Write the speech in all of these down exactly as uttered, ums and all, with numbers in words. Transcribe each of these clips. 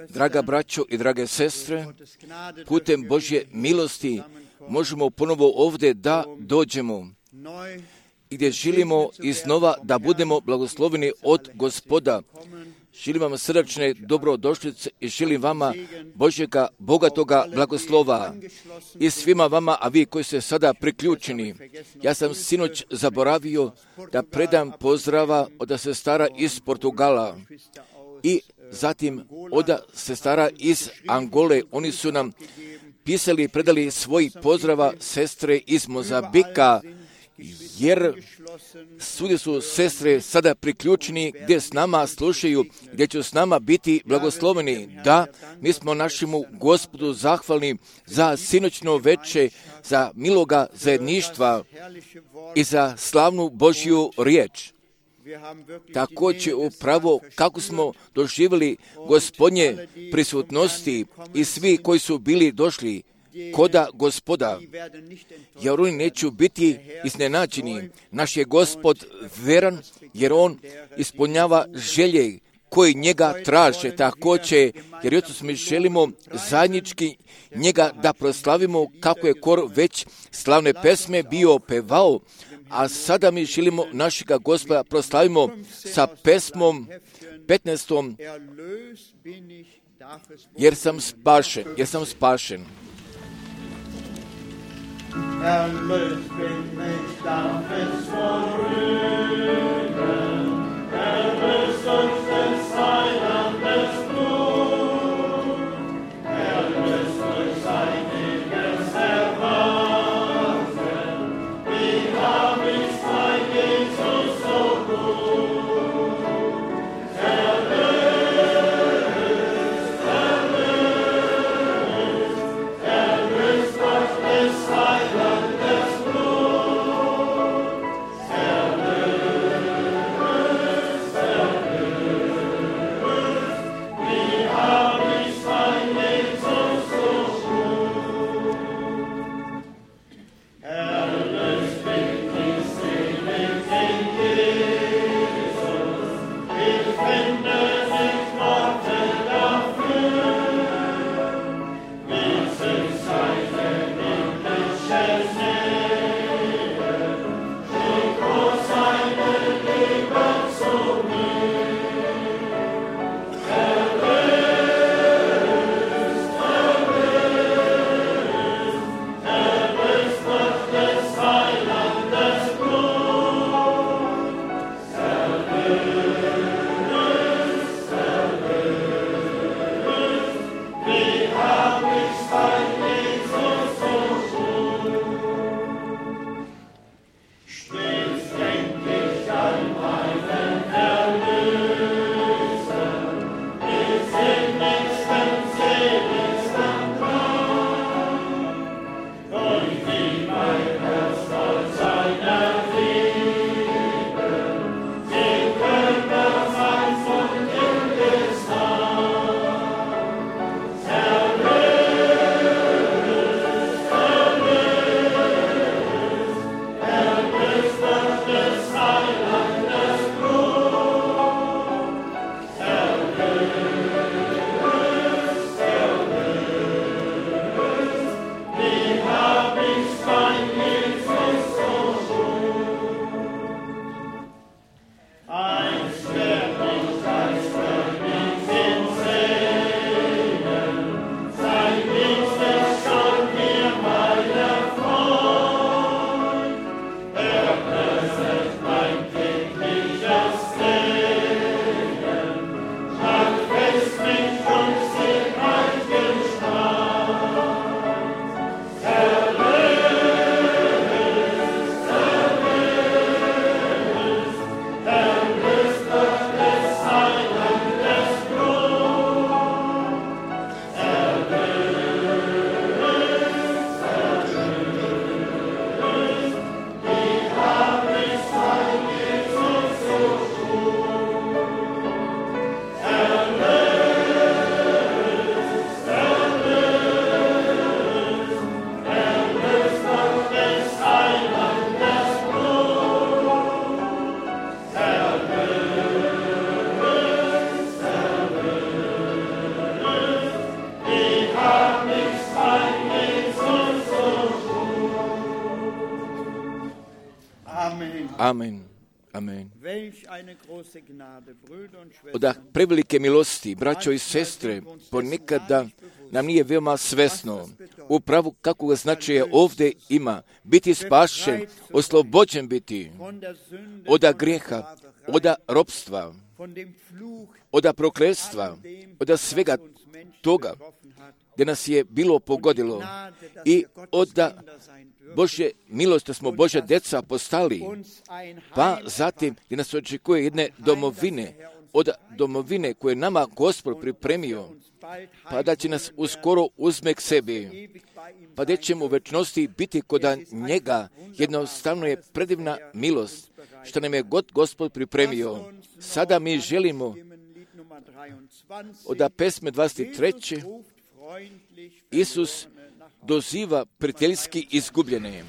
Draga braćo i drage sestre, putem Božje milosti možemo ponovo ovdje da dođemo i gdje želimo iznova da budemo blagosloveni od Gospoda. Želim vam srdačne dobrodošlice i želim vama Božjega bogatoga blagoslova i svima vama, a vi koji ste sada priključeni. Ja sam sinoć zaboravio da predam pozdrava od sestara iz Portugala i zatim od sestara iz Angole. Oni su nam pisali i predali svoj pozdrava sestre iz Mozambika, jer svugdje su sestre sada priključeni gdje s nama slušaju, gdje će s nama biti blagosloveni. Da, mi smo našemu Gospodu zahvalni za sinoćno veče, za miloga zajedništva i za slavnu Božju riječ. Također upravo kako smo doživjeli Gospodnje prisutnosti i svi koji su bili došli koda Gospoda, jer oni neće biti iznenađeni. Naš je Gospod veran, jer On ispunjava želje koji njega traže. Također, jer jutros mi želimo zajednički njega da proslavimo, kako je kor već slavne pesme bio pevao, a sada mi želimo našega Gospoda proslavimo sa pesmom petnaestom jer sam spašen, jer sam spašen. Erlöst bin ich, darf es vorüber, erlöst uns des Heilandes Blut, erlöst durch seiniges Erbarmen, wie hab ich's bei Jesus so gut, erlöst, erlöst, erlöst durch des Heilandes Blut, erlöst, erlöst. Amen. Amen. Od prevelike milosti, braćo i sestre, ponekada nam nije veoma svesno upravo kako ga značaja ovdje ima. Biti spašen, oslobođen biti od grijeha, od ropstva, od prokletstva, od svega toga gdje nas je bilo pogodilo i od Božje milosti smo Božja djeca postali, pa zatim gdje nas očekuje jedne domovine, od domovine koje nama Gospod pripremio, pa da će nas uskoro uzme k sebi, pa da ćemo u večnosti biti kod njega. Jednostavno je predivna milost što nam je God Gospod pripremio. Sada mi želimo od pesme dvadeset tri. Isus doziva prijateljski izgubljene.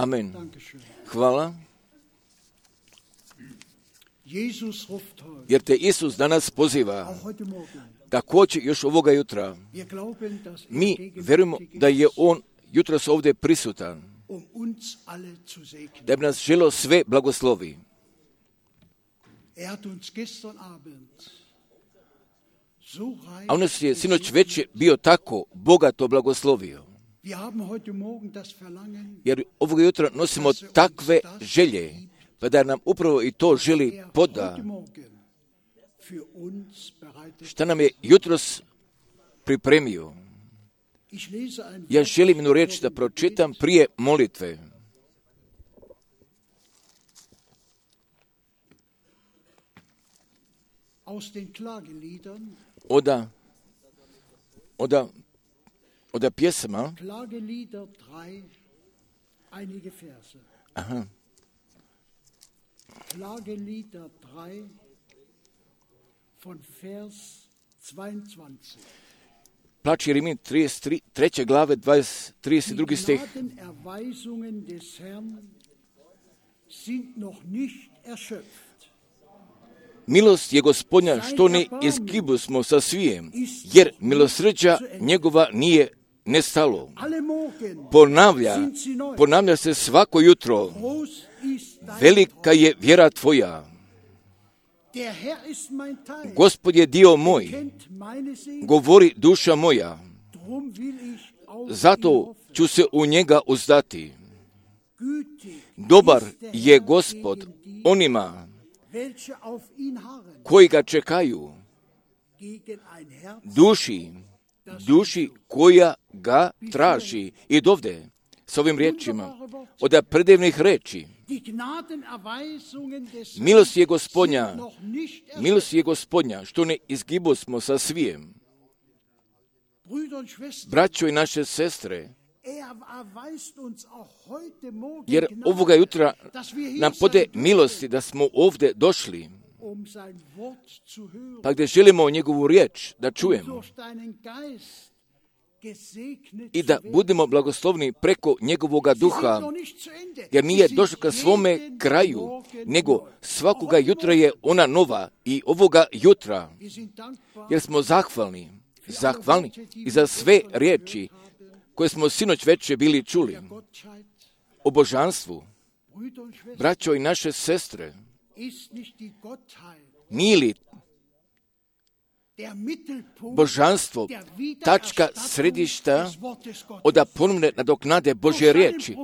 Amen. Hvala. Jer te Isus danas poziva, također još ovoga jutra. Mi vjerujemo da je On jutros ovdje prisutan, da bi nas želio sve blagoslovi. A on nas je sinoć već bio tako bogato blagoslovio. Jer ovog jutra nosimo takve želje, pa da nam upravo i to želi poda. Šta nam je jutros pripremio? Ja želim jednu riječ da pročitam prije molitve. Oda, oda, oda pjesama. Aha. Klagelieder tri, von Vers zweiundzwanzig. Plač Jeremije trideset tri, treće glave, dvadeset, trideset drugi stih. Die Gnadenerweisungen des Herrn sind noch nicht erschöpft. Milost je Gospodnja što ne izgibu smo sa svijem, jer milosrđa njegova nije nestalo. Ponavlja, ponavlja se svako jutro. Velika je vjera tvoja. Gospod je dio moj, govori duša moja. Zato ću se u njega uzdati. Dobar je Gospod onima koji ga čekaju, duši, duši koja ga traži. I dovde, s ovim riječima, od predivnih reči, milost je Gospodnja, milost je Gospodnja, što ne izgibu smo sa svijem. Braćo i naše sestre, jer ovoga jutra nam pode milosti da smo ovdje došli, pa gdje želimo njegovu riječ da čujemo i da budemo blagoslovni preko njegovoga duha, jer nije došlo ka svome kraju, nego svakoga jutra je ona nova i ovoga jutra, jer smo zahvalni, zahvalni i za sve riječi koje smo sinoć večer bili čuli o božanstvu. Braćo i naše sestre, nije li božanstvo tačka središta oda ponovne nadoknade Božje riječi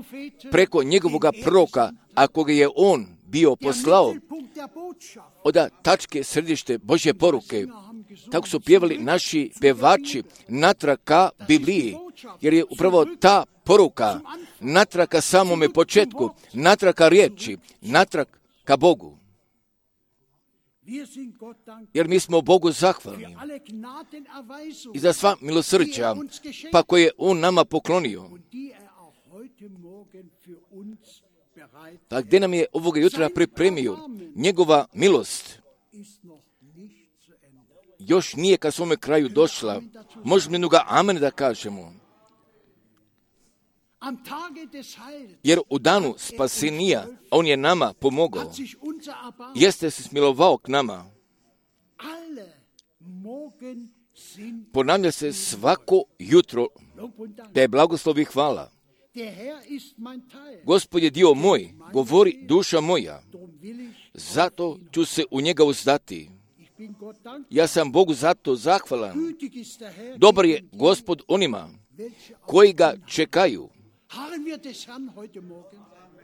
preko njegovoga proroka, ako ga je on bio poslao, oda tačke središte Božje poruke. Tako su pjevali naši pevači natrag ka Bibliji, jer je upravo ta poruka natrag ka samome početku, natrag ka riječi, natrag ka Bogu. Jer mi smo Bogu zahvalni i za sva milosrđa, pa koje je on nama poklonio. Pa gdje nam je ovoga jutra pripremio njegova milost, još nije ka svome kraju došla. Možemo jednoga amen da kažemo. Jer u danu spasenija on je nama pomogao. Jeste se smilovao k nama. Ponavlja se svako jutro da je blagoslov i hvala. Gospod je dio moj, govori duša moja. Zato ću se u njega uzdati. Ja sam Bogu zato zahvalan. Dobar je Gospod onima koji ga čekaju.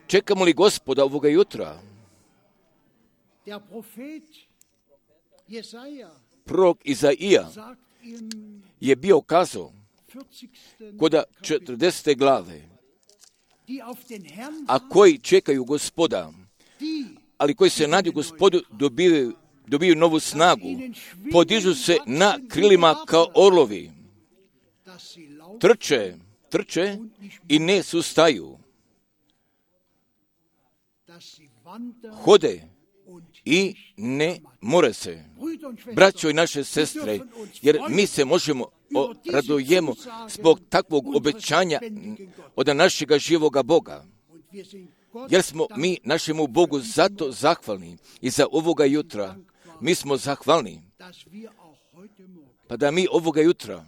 Čekamo li Gospoda ovoga jutra? Prorok Izaija je bio kazao kod četrdesete glave, a koji čekaju Gospoda, ali koji se nadju Gospodu dobiju, dobiju novu snagu, podižu se na krilima kao orlovi, trče, trče i ne sustaju, hode i ne more se. Braćo i naše sestre, jer mi se možemo radujemo zbog takvog obećanja od našega živoga Boga. Jer smo mi našemu Bogu zato zahvalni i za ovoga jutra. Mi smo zahvalni. Pa da mi ovoga jutra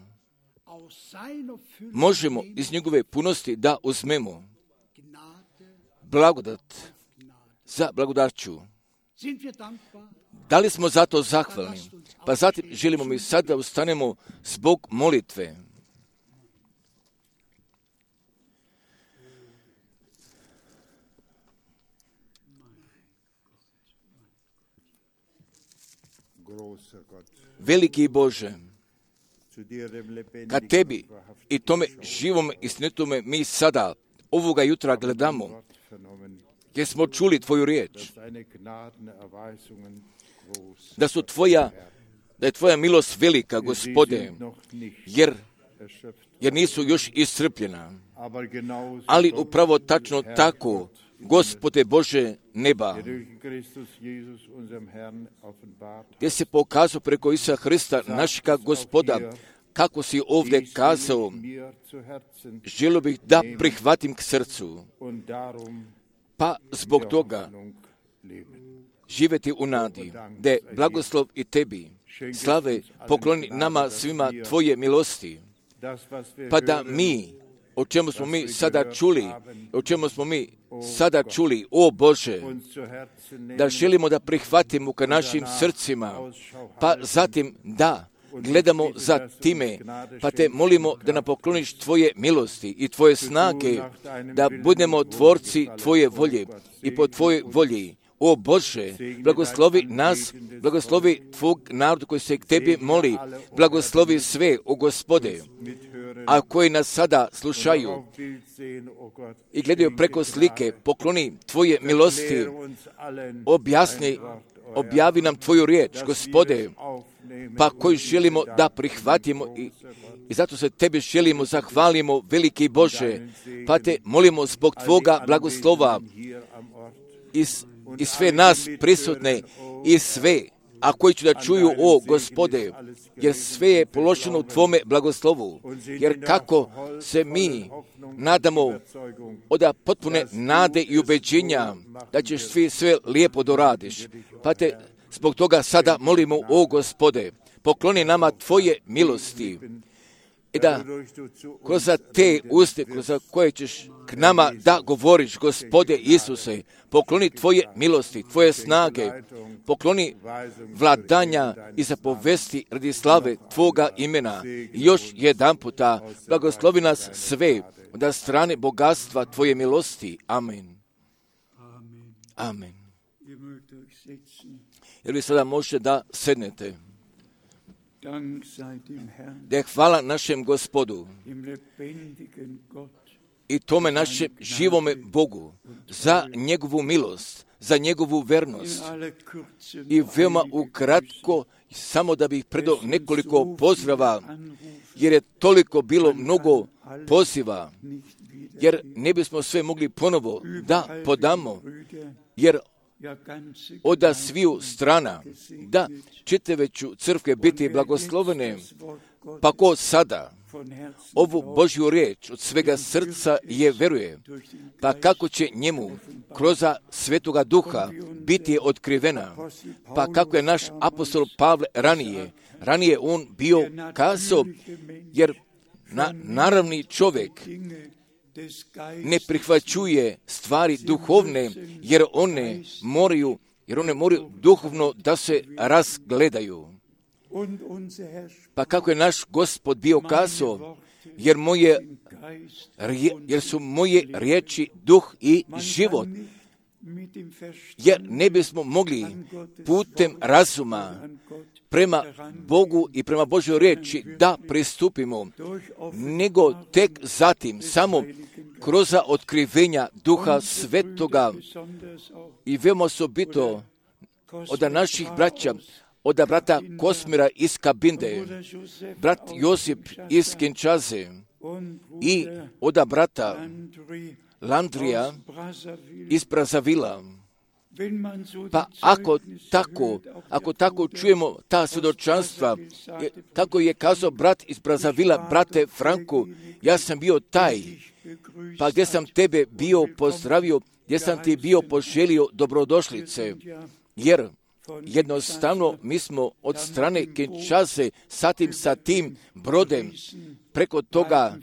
možemo iz njegove punosti da uzmemo blagodat za blagodaću. Da li smo zato zahvalni? Pa zatim želimo mi sad da ustanemo zbog molitve. Veliki Bože, ka tebi i tome živom istinitome mi sada ovoga jutra gledamo, jer smo čuli tvoju riječ, da su tvoja, da je tvoja milost velika, Gospode, jer, jer nisu još iscrpljena, ali upravo tačno tako, Gospode Bože neba, gdje se pokazao preko Isusa Hrista, našega Gospoda, kako si ovdje kazao, želio bih da prihvatim k srcu, pa zbog toga živjeti u nadi, da je blagoslov i tebi, slave pokloni nama svima tvoje milosti, pa da mi, o čemu smo mi sada čuli, o čemu smo mi sada čuli, o Bože, da želimo da prihvatimo ka našim srcima, pa zatim da gledamo za time, pa te molimo da nam pokloniš tvoje milosti i tvoje snage, da budemo tvorci tvoje volje i po tvojoj volji. O Bože, blagoslovi nas, blagoslovi tvog naroda koji se k tebi moli, blagoslovi sve, o Gospode, a koji nas sada slušaju i gledaju preko slike, pokloni tvoje milosti, objasni, objavi nam tvoju riječ, Gospode, pa koju želimo da prihvatimo i, i zato se tebi želimo, zahvalimo, veliki Bože, pa te molimo zbog tvoga blagoslova i, i sve nas prisutne i sve, a koji će da čuju, o Gospode, jer sve je položeno u tvome blagoslovu, jer kako se mi nadamo od potpune nade i ubeđenja da ćeš svi sve lijepo doradiš, pa te zbog toga sada molimo, o Gospode, pokloni nama tvoje milosti i da kroz te uste, kroz koje ćeš k nama da govoriš, Gospode Isuse, pokloni tvoje milosti, tvoje snage, pokloni vladanja i zapovesti radi slave tvoga imena. I još jedan puta blagoslovi nas sve od strane bogatstva tvoje milosti. Amen. Amen. Jer vi sada možete da sednete. Da je hvala našem Gospodu i tome našem živome Bogu za njegovu milost, za njegovu vernost. I veoma ukratko, samo da bih predao nekoliko pozdrava, jer je toliko bilo mnogo poziva, jer ne bismo sve mogli ponovo da podamo, jer od sviju strana, da čitaveću crkve biti blagoslovene, pa ko sada ovu Božju riječ od svega srca je veruje, pa kako će njemu kroz Svetoga Duha biti otkrivena, pa kako je naš apostol Pavle ranije, ranije on bio kazao, jer na, naravni čovjek ne prihvaćuje stvari duhovne, jer one moraju, jer one moraju duhovno da se razgledaju. Pa kako je naš Gospod bio kazao, jer, moje, jer su moje riječi duh i život, jer ne bismo mogli putem razuma prema Bogu i prema Božoj riječi da pristupimo, nego tek zatim samo kroz otkrivenja Duha Svetoga i veoma osobito od naših braća, od brata Kosmira iz Kabinde, brat Josip iz Kinčaze i od brata Landrija iz Brazavila. Pa ako tako, ako tako čujemo ta svjedočanstva, kako je kazao brat iz Brazavila, brate Franku, ja sam bio taj, pa gdje sam tebe bio pozdravio, gdje sam ti bio poželio dobrodošlice, jer jednostavno mi smo od strane Kinshase sa tim, sa tim brodem preko toga,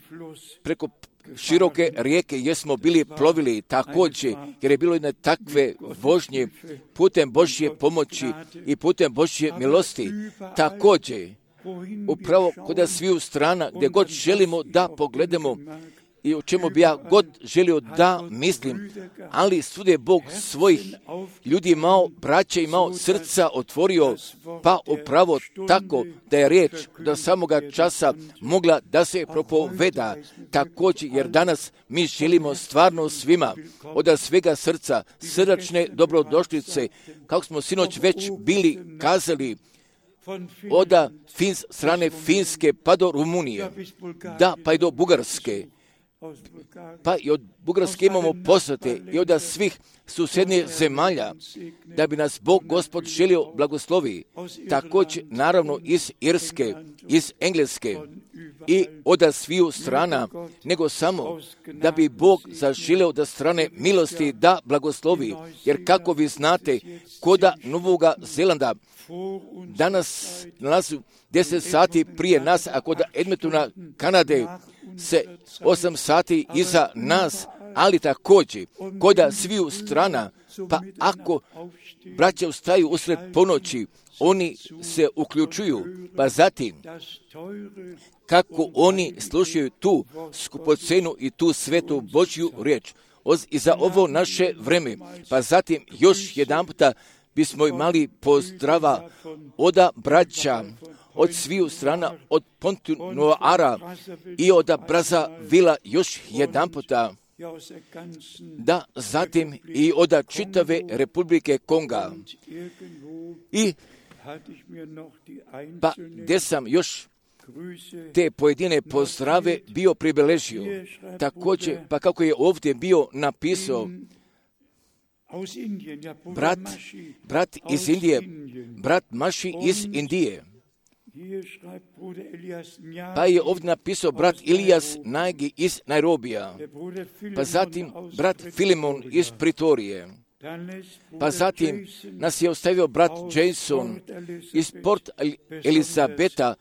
preko široke rijeke gdje smo bili plovili također, jer je bilo jedne takve vožnje putem Božje pomoći i putem Božje milosti. Također, upravo kod sviju strana gdje god želimo da pogledamo i o čemu bi ja god želio da mislim, ali svud je Bog svojih ljudi imao, braća imao, srca otvorio, pa upravo tako da je riječ do samoga časa mogla da se propoveda također, jer danas mi želimo stvarno svima od svega srca srdačne dobrodošlice, kako smo sinoć već bili kazali, od Fins, strane Finske pa do Rumunije, da pa i do Bugarske, pa i od Bugarske imamo poslate i od svih susjednih zemalja, da bi nas Bog Gospod želio blagoslovi, također naravno iz Irske, iz Engleske i od sviju strana, nego samo da bi Bog zaželio da strane milosti da blagoslovi, jer kako vi znate, koda Novoga Zelanda danas nalazu deset sati prije nas, a kod Edmontona, Kanade, se osam sati iza nas, ali također kod sviju strana, pa ako braća ustaju usred ponoći, oni se uključuju, pa zatim kako oni slušaju tu skupocenu i tu svetu Božju riječ i za ovo naše vreme, pa zatim još jedan puta bismo imali pozdrava od braća, od sviju strana, od Pontinuara i od Brazzavilla još jedan puta, da zatim i od čitave Republike Konga. I pa gdje sam još te pojedine pozdrave bio pribeležio. Također, pa kako je ovdje bio napisao, brat, brat iz Indije, brat Maši iz Indije. Pa je ovdje napisao brat Ilijas Nagi iz Nairobija, pa zatim brat Filimon iz Pritorije, pa zatim nas je ostavio brat Jason iz Port Elizabeta.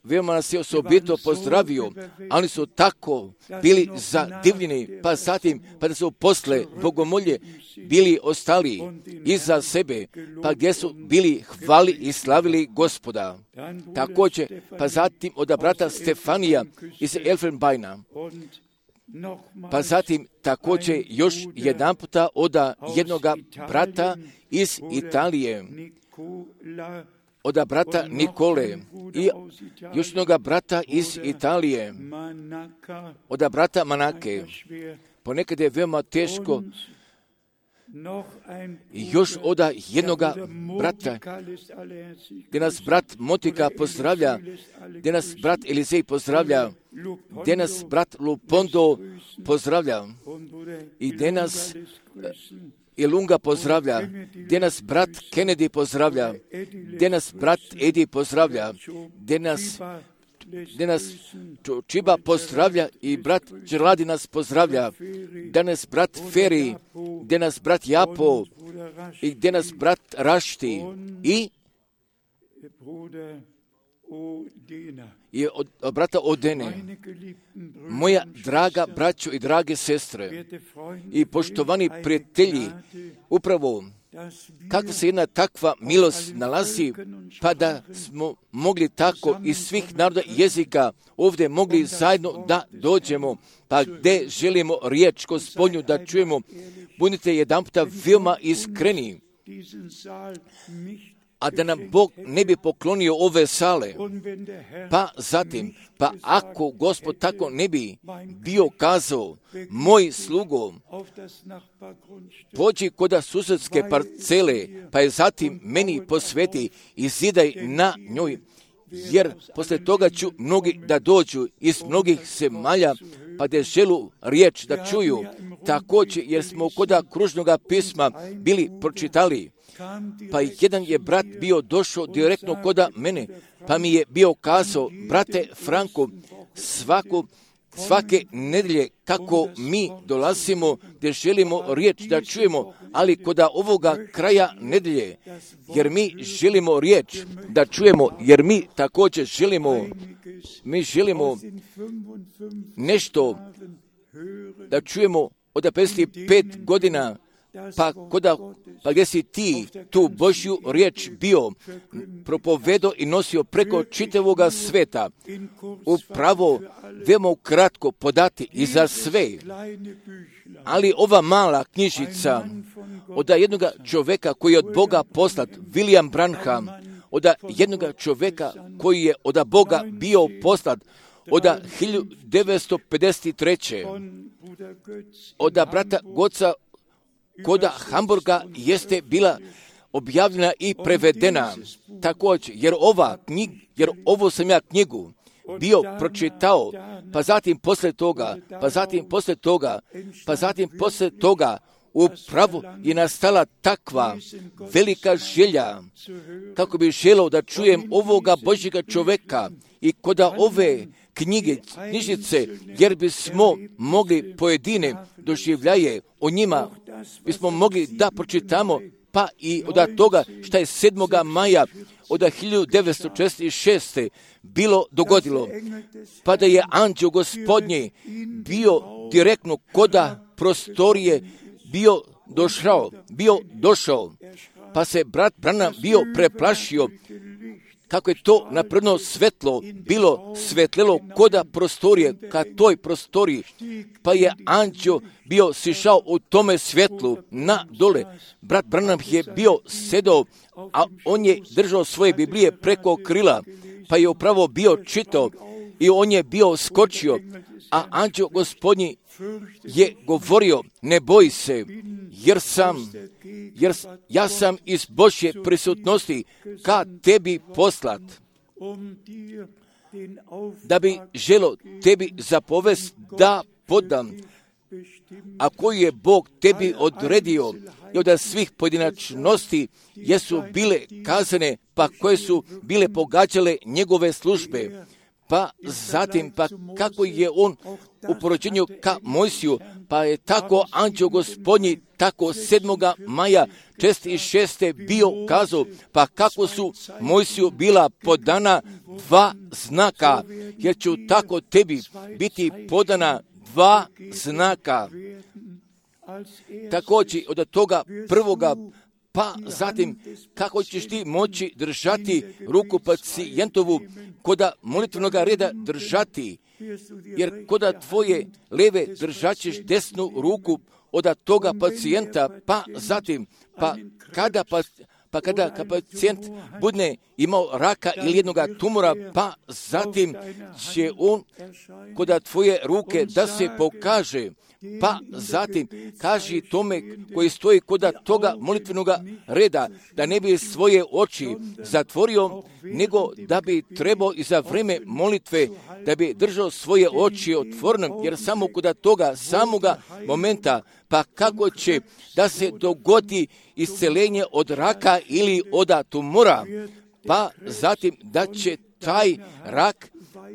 Veoma nas je osobito pozdravio, ali su tako bili zadivljeni, pa zatim, pa da su posle bogomolje bili ostali iza sebe, pa gdje su bili hvali i slavili Gospoda. Također, pa zatim od brata Stefanija iz Elfenbeina, pa zatim također još jedan puta od jednoga brata iz Italije, od brata Nikole i još jednoga brata iz Italije, od brata Manake. Ponekad je veoma teško i još od jednoga brata, gdje nas brat Motika pozdravlja, gdje nas brat Elizej pozdravlja, gdje nas brat Lupondo pozdravlja i gdje nas i Lunga pozdravlja, gdje nas brat Kennedy pozdravlja, gdje nas brat Edi pozdravlja, gdje nas, gdje nas Čiba pozdravlja i brat Đerladi nas pozdravlja, gdje nas brat Feri, gdje nas brat Japo i gdje nas brat Rašti i i od, od brata Odene. Moja draga braćo i drage sestre i poštovani prijatelji, upravo kako se jedna takva milost nalazi, pa da smo mogli tako iz svih naroda i jezika ovdje mogli zajedno da dođemo, pa gdje želimo riječ Gospodnju da čujemo, budite jedan puta veoma iskreni, a da nam Bog ne bi poklonio ove sale. Pa zatim, pa ako Gospod tako ne bi bio kazao, moj slugo, pođi kod susjedske parcele, pa je zatim meni posveti i zidaj na njoj, jer posle toga ću mnogi da dođu iz mnogih zemalja, pa da želu riječ da čuju. Također, jer smo kod kružnoga pisma bili pročitali, pa jedan je brat bio došao direktno kod mene, pa mi je bio kazao, brate Franko, svako svake nedelje kako mi dolazimo gdje želimo riječ da čujemo, ali kod ovoga kraja nedelje, jer mi želimo riječ da čujemo, jer mi također želimo, mi želimo nešto da čujemo od pedeset pet godina, pa, koda, pa gdje si ti tu Božju riječ bio propovedo i nosio preko čitavoga sveta, upravo veoma kratko podati i za sve. Ali ova mala knjižica od jednog čovjeka koji je od Boga poslat, William Branham, od jednog čovjeka koji je od Boga bio poslat, od hiljadu devetsto pedeset treće. od brata Goca koda Hamburga jeste bila objavljena i prevedena također, jer ova knjig, jer ovo sam ja knjigu bio pročitao, pa zatim poslije toga, pa zatim poslije toga, pa zatim poslije toga upravo je nastala takva velika želja kako bi želeo da čujem ovoga Božjega čovjeka i koda ove knjige, knjižice, jer bismo mogli pojedine doživljaje o njima, bismo mogli da pročitamo, pa i od toga što je sedmoga maja od hiljadu devetsto četrdeset šeste. bilo dogodilo, pa da je anđeo Gospodnji bio direktno koda prostorije bio došao, bio došao, pa se brat Branham bio preplašio kako je to naprno svetlo bilo svetlelo koda prostorije, ka toj prostoriji, pa je anđeo bio sišao u tome svjetlu na dole. Brat Branham je bio sedao, a on je držao svoje Biblije preko krila, pa je upravo bio čitao i on je bio skočio, a anđeo Gospodnji je govorio, ne boj se, jer sam, jer ja sam iz Božje prisutnosti ka tebi poslat, da bi želo tebi zapovest da podam, a koji je Bog tebi odredio i od svih pojedinačnosti jesu bile kazane, pa koje su bile pogađale njegove službe. Pa zatim, pa kako je on u porođenju ka Mojsiju, pa je tako anđeo Gospodnji, tako sedmoga maja četrdeset šeste bio kazao, pa kako su Mojsiju bila podana dva znaka, jer ću tako tebi biti podana dva znaka. Također od toga prvoga, pa zatim kako ćeš ti moći držati ruku pacijentovu, koda molitvenog reda držati, jer koda tvoje leve držat ćeš desnu ruku od toga pacijenta, pa zatim, pa kada pa Pa kada pacijent bude imao raka ili jednoga tumora, pa zatim će on koda tvoje ruke da se pokaže, pa zatim kaži tome koji stoji koda toga molitvenog reda, da ne bi svoje oči zatvorio, nego da bi trebao i za vrijeme molitve da bi držao svoje oči otvorene, jer samo koda toga samoga momenta, pa kako će da se dogodi isceljenje od raka ili od tumora, pa zatim da će taj rak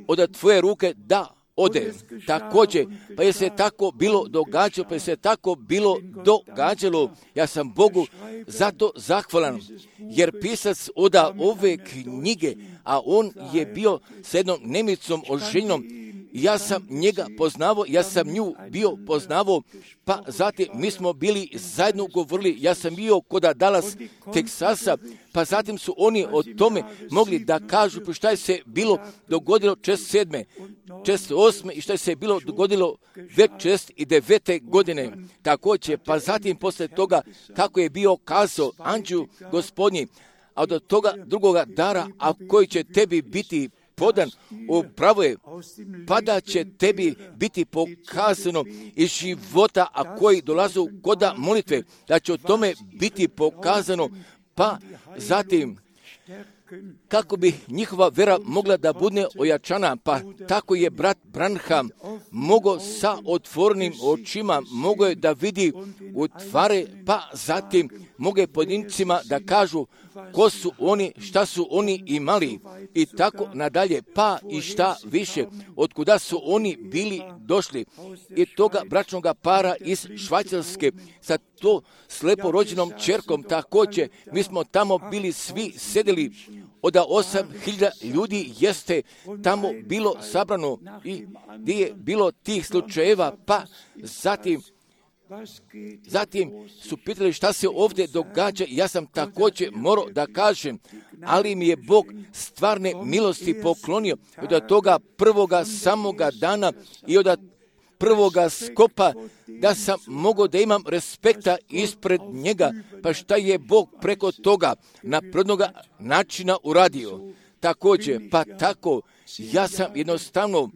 od tvoje ruke da ode. Također, pa je se tako bilo događalo, pa je se tako bilo događalo. Ja sam Bogu zato zahvalan, jer pisac od ove knjige, a on je bio s jednom Nemicom oženjenom, ja sam njega poznavao, ja sam nju bio poznavao, pa zatim mi smo bili zajedno govorili, ja sam bio kod Dallas, Teksasa, pa zatim su oni o tome mogli da kažu pa šta je se bilo dogodilo četrdeset sedme, četrdeset osme i šta je se bilo dogodilo već četrdeset devete godine. Također, pa zatim posle toga kako je bio kazao anđeo Gospodnji, a od toga drugoga dara, a koji će tebi biti podan, upravo je, pa da će tebi biti pokazano iz života, a koji dolazu koda molitve, da će o tome biti pokazano, pa zatim kako bi njihova vera mogla da bude ojačana, pa tako je brat Branham mogao sa otvorenim očima, mogao je da vidi u tvari, pa zatim mogu je pojedincima da kažu ko su oni, šta su oni imali i tako nadalje, pa i šta više, otkuda su oni bili došli. I toga bračnog para iz Švajcarske sa to slepo rođenom čerkom također, mi smo tamo bili svi sedeli, od osam hiljada ljudi jeste tamo bilo sabrano i gdje je bilo tih slučajeva, pa zatim Zatim su pitali šta se ovdje događa i ja sam također morao da kažem, ali mi je Bog stvarne milosti poklonio od toga prvoga samoga dana i od prvoga skopa da sam mogao da imam respekta ispred njega, pa šta je Bog preko toga na prvnoga načina uradio. Također, pa tako, ja sam jednostavno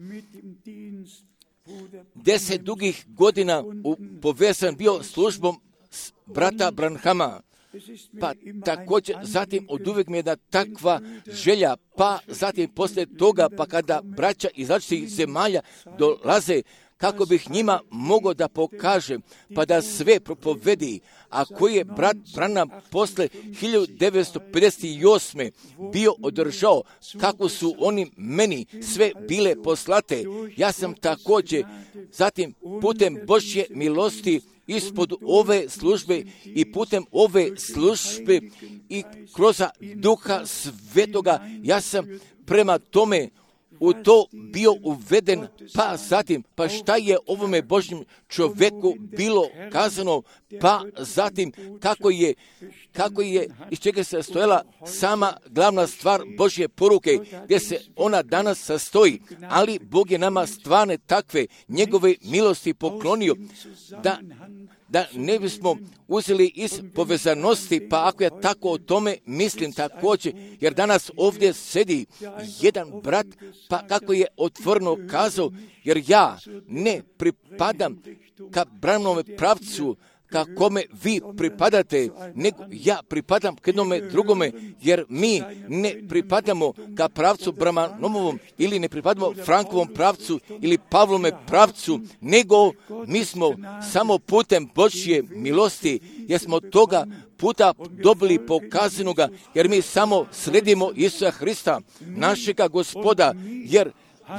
deset dugih godina u, povezan bio službom brata Branhama. Pa također, zatim od uvijek mi je da takva želja, pa zatim poslije toga, pa kada braća iz različitih zemalja dolaze, kako bih njima mogao da pokažem, pa da sve propovedi, a koji je brat Branham posle hiljadu devetsto pedeset osme bio održao, kako su oni meni sve bile poslate. Ja sam također, zatim putem Božje milosti, ispod ove službe i putem ove službe i kroz Duha Svetoga, ja sam prema tome u to bio uveden, pa zatim, pa šta je ovome Božjem čovjeku bilo kazano, pa zatim kako je, kako je, iz čega se stojala sama glavna stvar Božje poruke, gdje se ona danas sastoji, ali Bog je nama stvarne takve njegove milosti poklonio, da da ne bismo uzeli iz povezanosti, pa ako ja tako o tome mislim također, jer danas ovdje sedi jedan brat, pa kako je otvoreno kazao, jer ja ne pripadam ka Branhamove pravcu, ka kome vi pripadate, nego ja pripadam k jednome drugome, jer mi ne pripadamo ka pravcu Branhamovom ili ne pripadamo Frankovom pravcu ili Pavlome pravcu, nego mi smo samo putem Božje milosti, jer smo toga puta dobili pokazanoga, jer mi samo sledimo Isusa Hrista, našega Gospoda, jer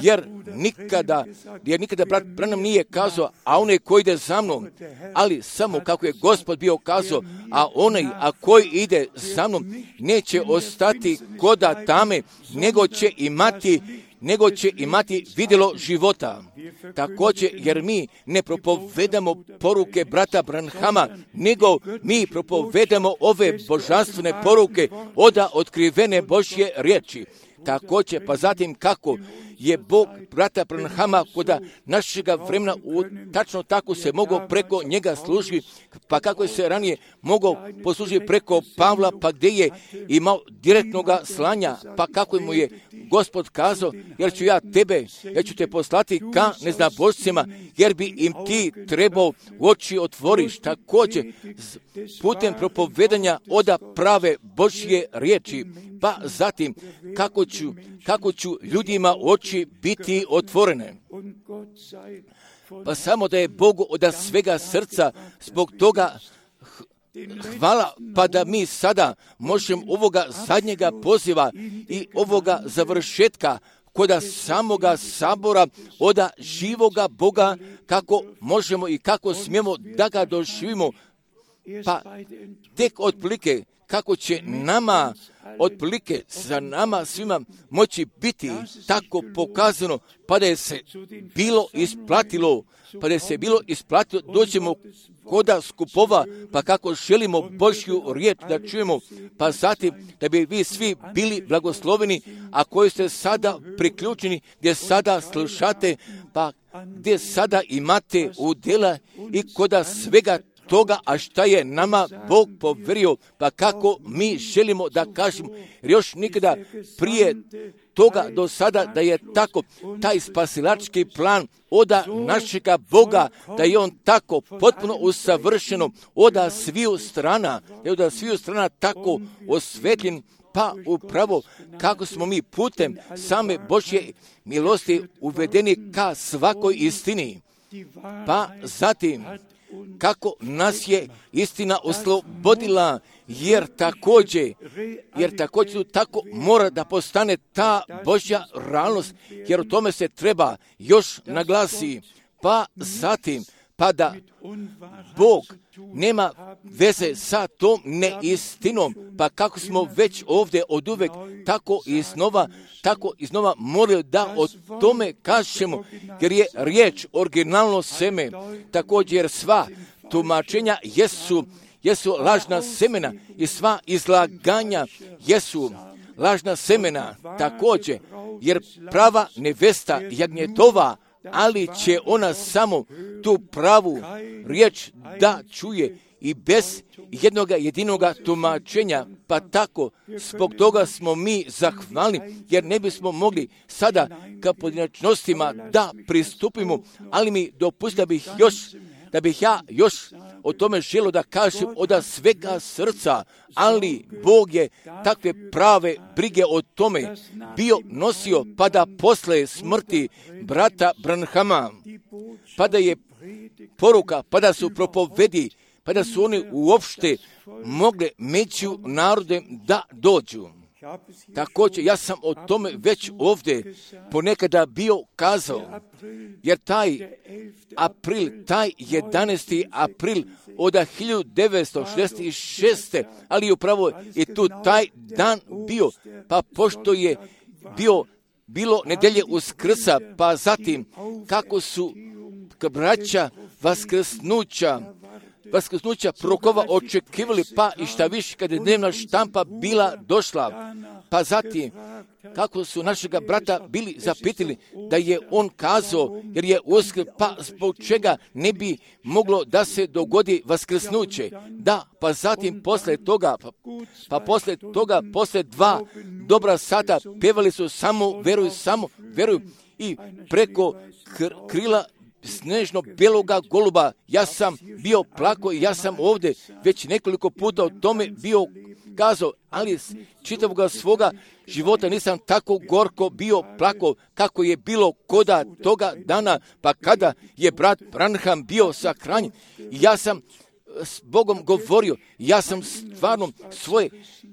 Jer nikada, jer nikada brat Branham nije kazao, a onaj koji ide za mnom, ali samo kako je Gospod bio kazao, a onaj a koji ide za mnom neće ostati koda tame, nego će imati nego će imati vidjelo života. Također, jer mi ne propovedamo poruke brata Branhama, nego mi propovedamo ove božanstvene poruke od otkrivene Božje riječi. Također, pa zatim kako je Bog brata Branhama kod našega vremena u, tačno tako se mogao preko njega služiti, pa kako je se ranije mogao poslužiti preko Pavla, pa gdje je imao direktnoga slanja, pa kako mu je Gospod kazao, jer ću ja tebe, ja ću te poslati ka neznabošcima, jer bi im ti trebao oči otvoriš. Također, putem propovedanja oda prave Božje riječi, pa zatim kako ću, kako ću ljudima oči biti otvorene. Pa samo da je Bogu od svega srca zbog toga hvala, pa da mi sada možemo ovoga zadnjega poziva i ovoga završetka koda samoga sabora oda živoga Boga, kako možemo i kako smijemo da ga doživimo, pa tek otprilike kako će nama, otprilike za nama svima moći biti tako pokazano, pa da je se bilo isplatilo, pa da je se bilo isplatilo, doćemo koda skupova, pa kako želimo Božju riječ da čujemo, pa zatim da bi vi svi bili blagosloveni, a koji ste sada priključeni, gdje sada slušate, pa gdje sada imate udjela i koda svega toga, a šta je nama Bog poverio, pa kako mi želimo da kažemo, jer još nikada prije toga do sada da je tako taj spasilački plan oda našega Boga, da je on tako potpuno usavršeno oda sviju strana, da je oda sviju strana tako osvetljen, pa upravo kako smo mi putem same Božje milosti uvedeni ka svakoj istini. Pa zatim, kako nas je istina oslobodila, jer također, jer također tako mora da postane ta Božja realnost, jer o tome se treba još naglasi. Pa zatim, pa da Bog nema veze sa tom neistinom, pa kako smo već ovdje od uvek tako iznova, tako iznova morali da o tome kažemo, jer je riječ originalno seme, također sva tumačenja jesu, jesu lažna semena i sva izlaganja jesu lažna semena također, jer prava nevesta jagnjetova, ali će ona samo tu pravu riječ da čuje i bez jednoga jedinoga tumačenja, pa tako zbog toga smo mi zahvalni, jer ne bismo mogli sada ka pojedinačnostima da pristupimo, ali mi dopustite da bih još da bih ja još o tome želio da kažem od svega srca, ali Bog je takve prave brige o tome bio nosio, pa da posle smrti brata Branhama, pa da je poruka, pa da su propovedi, pa da su oni uopšte mogle među narodem da dođu. Također, ja sam o tome već ovdje ponekada bio kazao, jer taj april, taj jedanaesti april od hiljadu devetsto šezdeset šeste. ali upravo je tu taj dan bio, pa pošto je bio, bilo nedelje Uskrsa, pa zatim kako su braća Vaskrsnuća, Vaskrsnuća prokova očekivali, pa i šta više kada je dnevna štampa bila došla, pa zatim kako su našega brata bili zapitali da je on kazao, jer je uskrs, pa zbog čega ne bi moglo da se dogodi vaskrsnuće. Da, pa zatim posle toga, pa, pa posle toga, posle dva dobra sata pevali su samo veruj, samo veruj i preko kr- krila snežno beloga goluba, ja sam bio plako i ja sam ovdje već nekoliko puta o tome bio kazao, ali čitavoga svoga života nisam tako gorko bio plako kako je bilo koda toga dana, pa kada je brat Branham bio sahranjen. Ja sam s Bogom govorio, ja sam stvarno svoje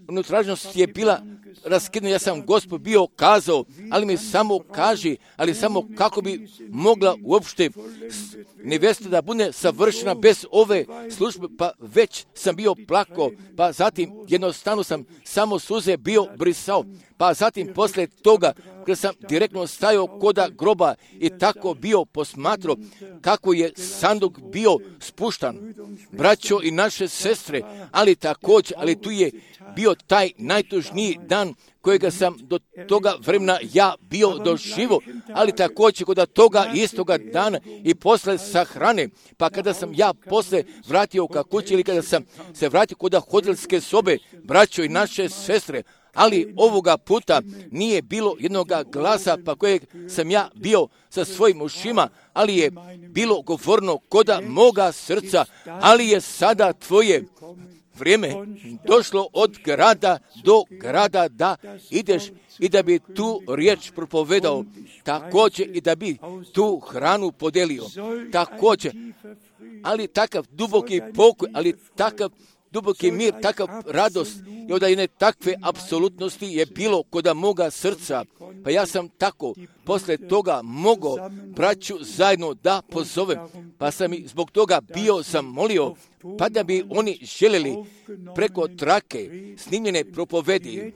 unutražnost je bila raskidna, ja sam Gospod bio kazao, ali mi samo kaži, ali samo kako bi mogla uopšte nevesta da bude savršena bez ove službe, pa već sam bio plako, pa zatim jednostavno sam samo suze bio brisao, pa zatim posle toga kada sam direktno stajao koda groba i tako bio posmatrao kako je sanduk bio spuštan. Braćo i naše sestre, ali također, ali tu je bio taj najtužniji dan kojega sam do toga vremena ja bio doživo, ali također kod toga istoga dana i posle sahrane, pa kada sam ja posle vratio ka kući ili kada sam se vratio kod hotelske sobe, braćo i naše sestre, ali ovoga puta nije bilo jednoga glasa pa kojeg sam ja bio sa svojim ušima, ali je bilo govorno koda moga srca, ali je sada tvoje vrijeme došlo od grada do grada da ideš i da bi tu riječ propovedao, također i da bi tu hranu podelio, također, ali takav duboki pokoj, ali takav duboki mir, takav radost i od jedne takve apsolutnosti je bilo koda moga srca. Pa ja sam tako posle toga mogao braću zajedno da pozovem, pa sam i zbog toga bio sam molio, pa da bi oni željeli preko trake snimljene propovedi,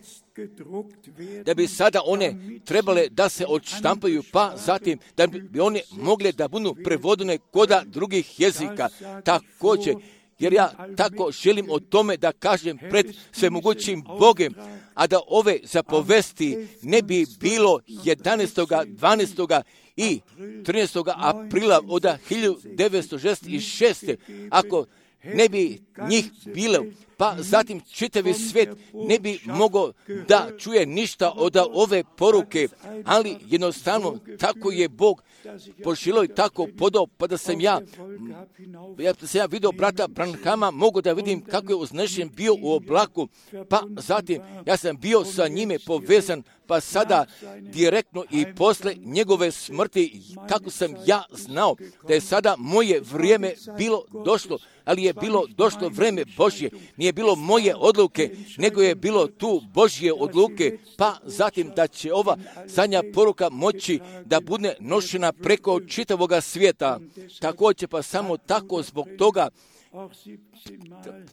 da bi sada one trebale da se odštampaju, pa zatim da bi one mogle da budu prevodene koda drugih jezika. Također, jer ja tako želim o tome da kažem pred svemogućim Bogem, a da ove zapovesti ne bi bilo jedanaestog, dvanaestog i trinaestog aprila od hiljadu devetsto šezdeset šeste. Ako ne bi njih bilo, pa zatim čitavi svijet ne bi mogao da čuje ništa od ove poruke, ali jednostavno tako je Bog poželio i tako podao, pa da sam ja, ja da sam ja vidio brata Branhama, mogu da vidim kako je uznešen bio u oblaku, pa zatim ja sam bio sa njime povezan, pa sada direktno i posle njegove smrti, kako sam ja znao da je sada moje vrijeme bilo došlo, ali je bilo došlo vrijeme Božje, nije bilo moje odluke, nego je bilo tu Božje odluke, pa zatim da će ova zadnja poruka moći da bude nošena preko čitavoga svijeta. Također pa samo tako zbog toga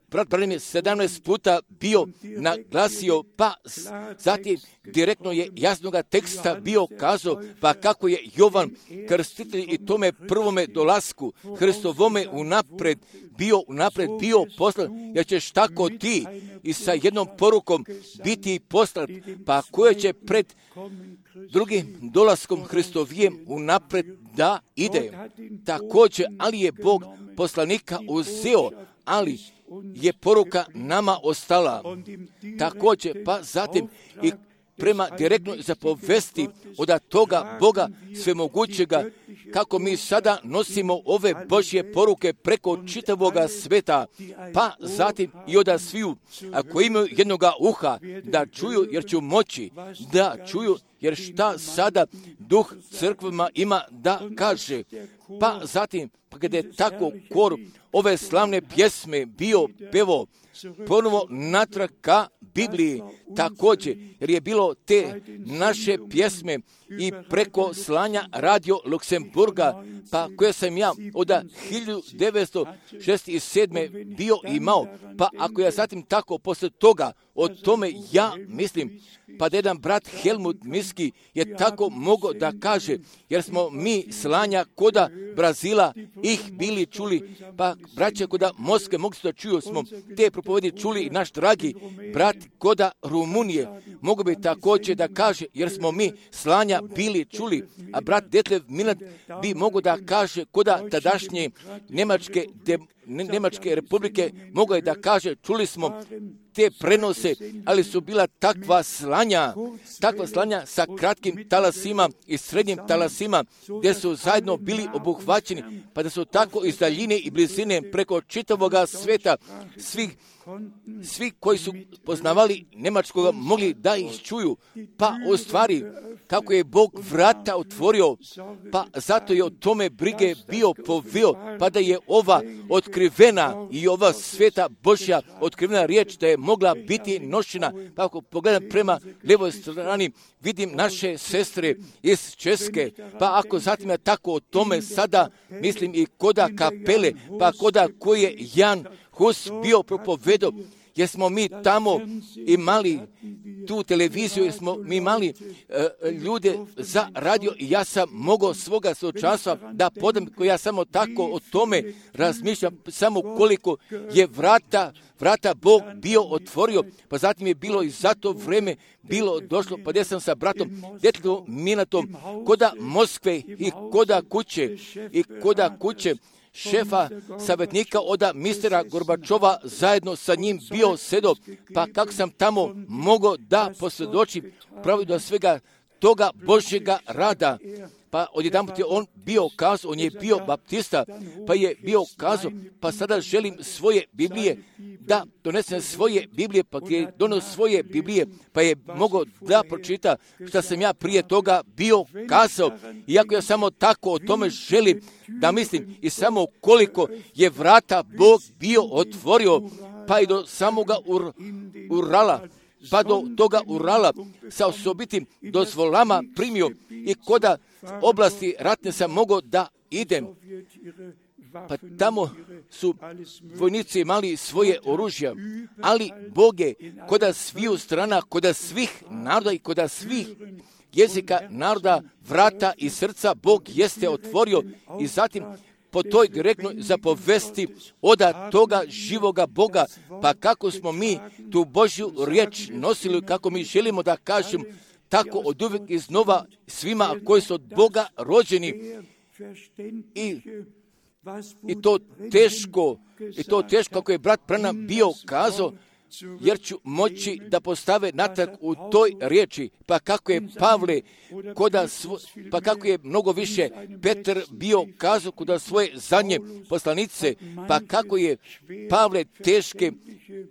brat Branham je sedamnaest puta bio naglasio, pa zatim direktno je jasnoga teksta bio kazao, pa kako je Jovan krstitelj i tome prvome dolasku Hristovome unapred bio, unapred bio poslan, jer ćeš tako ti i sa jednom porukom biti poslat, pa koje će pred drugim dolaskom Hristovijem unapred da ide. Također, ali je Bog poslanika uzeo, ali je poruka nama ostala. Također, pa zatim i prema direktnoj zapovesti od toga Boga svemogućega, kako mi sada nosimo ove Božje poruke preko čitavoga sveta, pa zatim i od sviju, ako imaju jednoga uha, da čuju, jer ću moći da čuju, jer šta sada duh crkvama ima da kaže. Pa zatim, pa kada je tako kor ove slavne pjesme bio pevo, ponovo natrag ka Bibliji također, jer je bilo te naše pjesme i preko slanja Radio Luksemburga, pa koje sam ja od hiljadu devetsto šezdeset sedme bio imao, pa ako ja zatim tako posle toga o tome ja mislim, pa da jedan brat Helmut Miski je tako mogao da kaže, jer smo mi slanja koda Brazila ih bili čuli, pa braće koda Moskve mogli da čuju smo te propovedi čuli i naš dragi brat koda Rumunije mogu bi također da kaže, jer smo mi slanja bili čuli, a brat Detlev Milan bi mogo da kaže koda tadašnje Njemačke, de, Njemačke republike mogo je da kaže, čuli smo te prenose, ali su bila takva slanja, takva slanja sa kratkim talasima i srednjim talasima, gdje su zajedno bili obuhvaćeni, pa da su tako iz daljine i blizine preko čitavoga sveta svih svi koji su poznavali njemačkoga mogli da ih čuju, pa u stvari kako je Bog vrata otvorio, pa zato je o tome brige bio poveo, pa da je ova otkrivena i ova sveta Božja otkrivena riječ da je mogla biti nošena. Pa ako pogledam prema lijevoj strani, vidim naše sestre iz Česke, pa ako zatim ja tako o tome sada mislim i koda kapele, pa koda koji je Jan Hus bio propovedao, jer smo mi tamo imali tu televiziju, jer smo mi imali uh, ljude za radio i ja sam mogao svoga časa da podam, koji ja samo tako o tome razmišljam, samo koliko je vrata, vrata Bog bio otvorio, pa zatim je bilo i za to vreme bilo došlo, pa gdje sam sa bratom Detlevom Minatom koda Moskve i koda kuće i koda kuće šefa savjetnika od mistera Gorbačova zajedno sa njim bio sedo, pa kako sam tamo mogao da posvjedočim pravi do svega toga Božjega rada. Pa odjedanput je on bio kazao, on je bio baptista, pa je bio kazao, pa sada želim svoje Biblije, da donesem svoje Biblije, pa je donio svoje Biblije, pa je mogao da pročita što sam ja prije toga bio kazao. Iako ja samo tako o tome želim da mislim i samo koliko je vrata Bog bio otvorio, pa i do samoga ur, Urala, pa do toga Urala sa osobitim dozvolama primio i koda oblasti ratne sam mogao da idem. Pa tamo su vojnici imali svoje oružja, ali Bog je koda sviju strana, koda svih naroda i koda svih jezika naroda, vrata i srca Bog jeste otvorio i zatim po toj direktnoj zapovesti oda toga živoga Boga, pa kako smo mi tu Božju riječ nosili, kako mi želimo da kažem, tako od uvijek iznova svima koji su od Boga rođeni i I to teško, i to teško kako je brat Branham bio kazao, jer ću moći da postave natrag u toj riječi. Pa kako je Pavle, koda svo, pa kako je mnogo više Petar bio kazao koda svoje zadnje poslanice, pa kako je Pavle teške,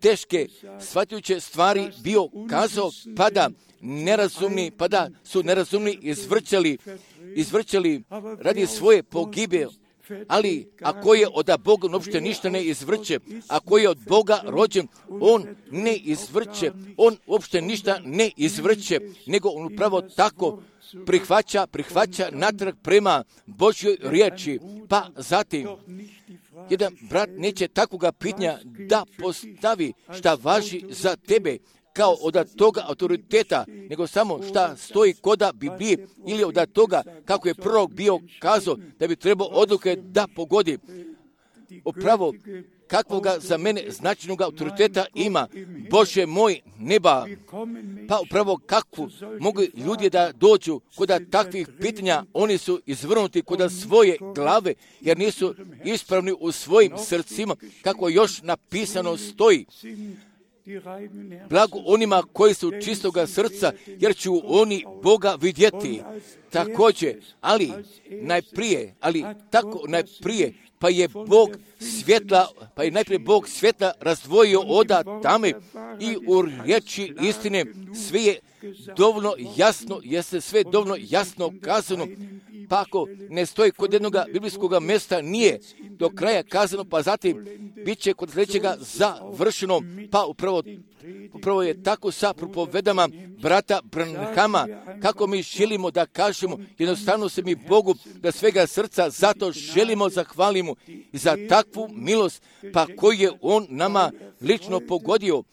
teške shvatujuće stvari bio kazao, pa da nerazumni, pa da su nerazumni izvrćali, izvrćali radi svoje pogibe. Ali ako je od Boga uopšte ništa ne izvrće, ako je od Boga rođen, on ne izvrće, on uopšte ništa ne izvrće, nego on upravo tako prihvaća, prihvaća natrag prema Božjoj riječi. Pa zatim, jedan brat neće takvoga pitanja da postavi šta važi za tebe, kao od toga autoriteta, nego samo šta stoji koda Biblije ili od toga kako je prorok bio kazao da bi trebao odluke da pogodi. Upravo kakvoga za mene značajnog autoriteta ima Bože moj neba. Pa upravo kakvu mogu ljudi da dođu koda takvih pitanja, oni su izvrnuti koda svoje glave, jer nisu ispravni u svojim srcima, kako još napisano stoji. Blago onima koji su čistoga srca, jer ću oni Boga vidjeti. Također, ali najprije, ali tako najprije, pa je Bog svjetla, pa je najprije Bog svjetla razdvojio oda tame i u riječi istine sve je dovoljno jasno, jeste sve dovoljno jasno kazano. Pa ako ne stoji kod jednog biblijskog mjesta, nije do kraja kazano, pa zatim bit će kod sljedećega završeno. Pa upravo, upravo je tako sa propovedama brata Branhama, kako mi želimo da kažemo, jednostavno se mi Bogu da svega srca zato želimo zahvalimo i za takvu milost, pa koju je On nama lično pogodio.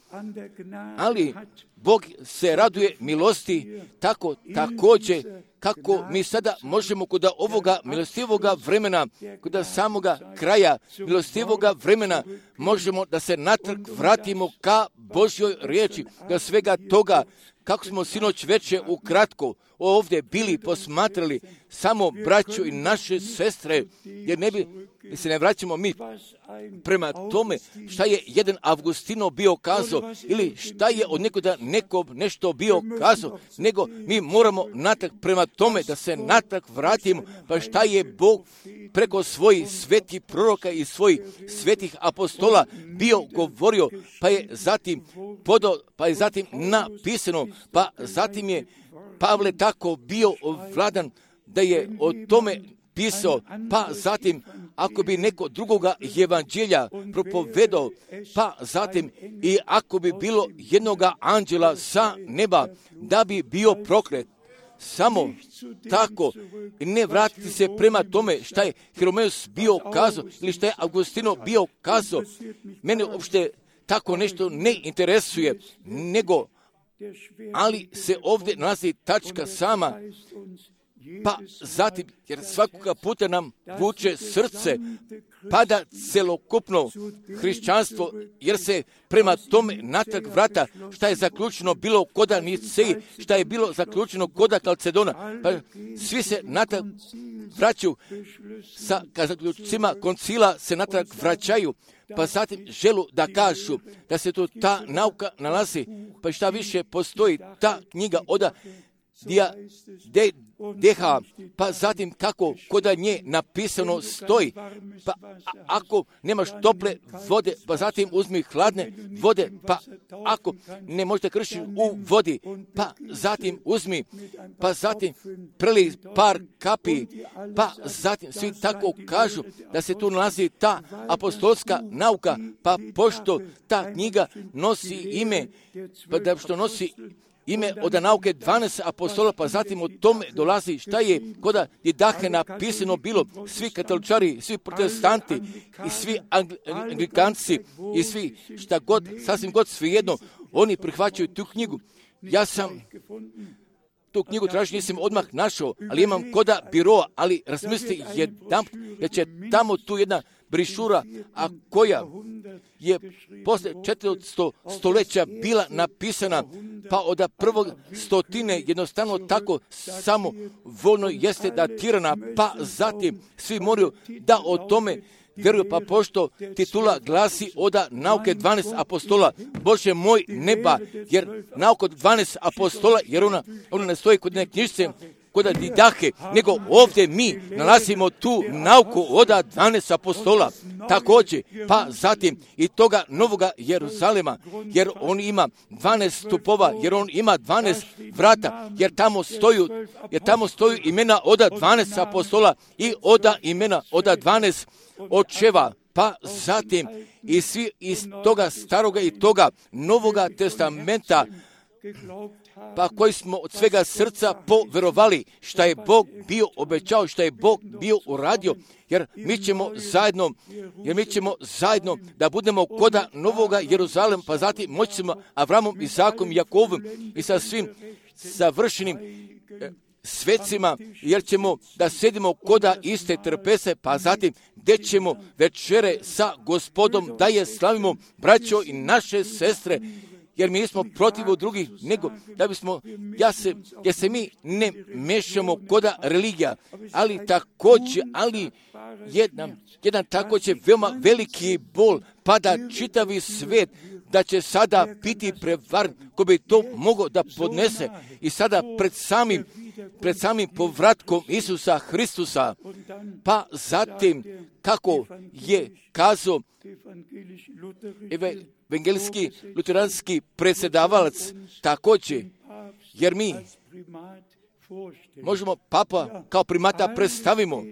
Ali Bog se raduje milosti tako također kako mi sada možemo kod ovoga milostivoga vremena, kod samoga kraja milostivoga vremena, možemo da se natrag vratimo ka Božjoj riječi, da svega toga, kako smo sinoć veče ukratko ovdje bili posmatrali samo braću i naše sestre, jer ne bi se ne vraćamo mi prema tome šta je jedan Avgustino bio kazao ili šta je od nekoga neko nešto bio kazao, nego mi moramo natrag prema tome da se natrag vratimo, pa šta je Bog preko svojih svetih proroka i svojih svetih apostola bio govorio, pa je zatim podo, pa je zatim napisano, pa zatim je Pavle tako bio vladan da je o tome pisao, pa zatim ako bi neko drugoga evanđelja propovedao, pa zatim i ako bi bilo jednoga anđela sa neba da bi bio proklet. Samo tako i ne vratiti se prema tome šta je Hieromeus bio kazao ili šta je Augustino bio kazao. Mene uopšte tako nešto ne interesuje, nego ali se ovdje nalazi tačka sama, pa zatim, jer svakoga puta nam vuče srce, pada celokupno hrišćanstvo, jer se prema tome natrag vrata, šta je zaključeno bilo koda Niceji, šta je bilo zaključeno koda Kalcedona, pa svi se natrag vraćaju, sa zaključcima koncila se natrag vraćaju, pa zatim želu da kažu da se tu ta nauka nalazi, pa šta više postoji ta knjiga oda Dia, de, deha, pa zatim kako koda nje napisano stoji, pa a, ako nemaš tople vode, pa zatim uzmi hladne vode, pa ako ne možete kršiti u vodi, pa zatim uzmi, pa zatim preli par kapi, pa zatim svi tako kažu da se tu nalazi ta apostolska nauka, pa pošto ta knjiga nosi ime, pa da što nosi ime od nauke dvanaest apostola, pa zatim o tome dolazi šta je koda didahe napisano bilo, svi katoličari, svi protestanti i svi anglikanci i svi šta god, sasvim god svejedno, oni prihvaćaju tu knjigu. Ja sam tu knjigu tražim, nisam odmah našao, ali imam koda biroa, ali razmislite jedan, jer će tamo tu jedna brišura, a koja je posle četiristo stoljeća bila napisana, pa od prvog stotine jednostavno tako samo voljno jeste datirana, pa zatim svi moraju da o tome vjeruju, pa pošto titula glasi oda nauke dvanaest apostola, Bože moj neba, jer nauka dvanaest apostola, jer ona, ona ne stoji kod neke knjižice, kod Didahe, nego ovdje mi nalazimo tu nauku oda dvanaest apostola, također, pa zatim i toga novoga Jeruzalema, jer on ima dvanaest stupova, jer on ima dvanaest vrata, jer tamo stoju, jer tamo stoju imena oda dvanaest apostola i oda imena oda dvanaest očeva, pa zatim i svi iz toga staroga i toga novoga testamenta, pa koji smo od svega srca poverovali šta je Bog bio obećao, šta je Bog bio uradio, jer mi ćemo zajedno, jer mi ćemo zajedno da budemo koda novoga Jeruzalema, pa zatim moći ćemo Avramom, Isakom, Jakovom i sa svim savršenim svecima, jer ćemo da sedimo koda iste trpese, pa zatim gdje ćemo večere sa Gospodom da je slavimo, braćo i naše sestre, jer mi nismo protiv drugih, nego da bismo, ja se, jer se mi ne mešamo koda religija, ali također, ali jedan, jedan također veoma veliki bol, pa da čitavi svijet, da će sada biti prevaren, ko bi to mogao da podnese i sada pred samim, pred samim povratkom Isusa Hristusa, pa zatim kako je kazao evangeljski luteranski predsjedavalac također, jer mi možemo papa kao primata predstavimo,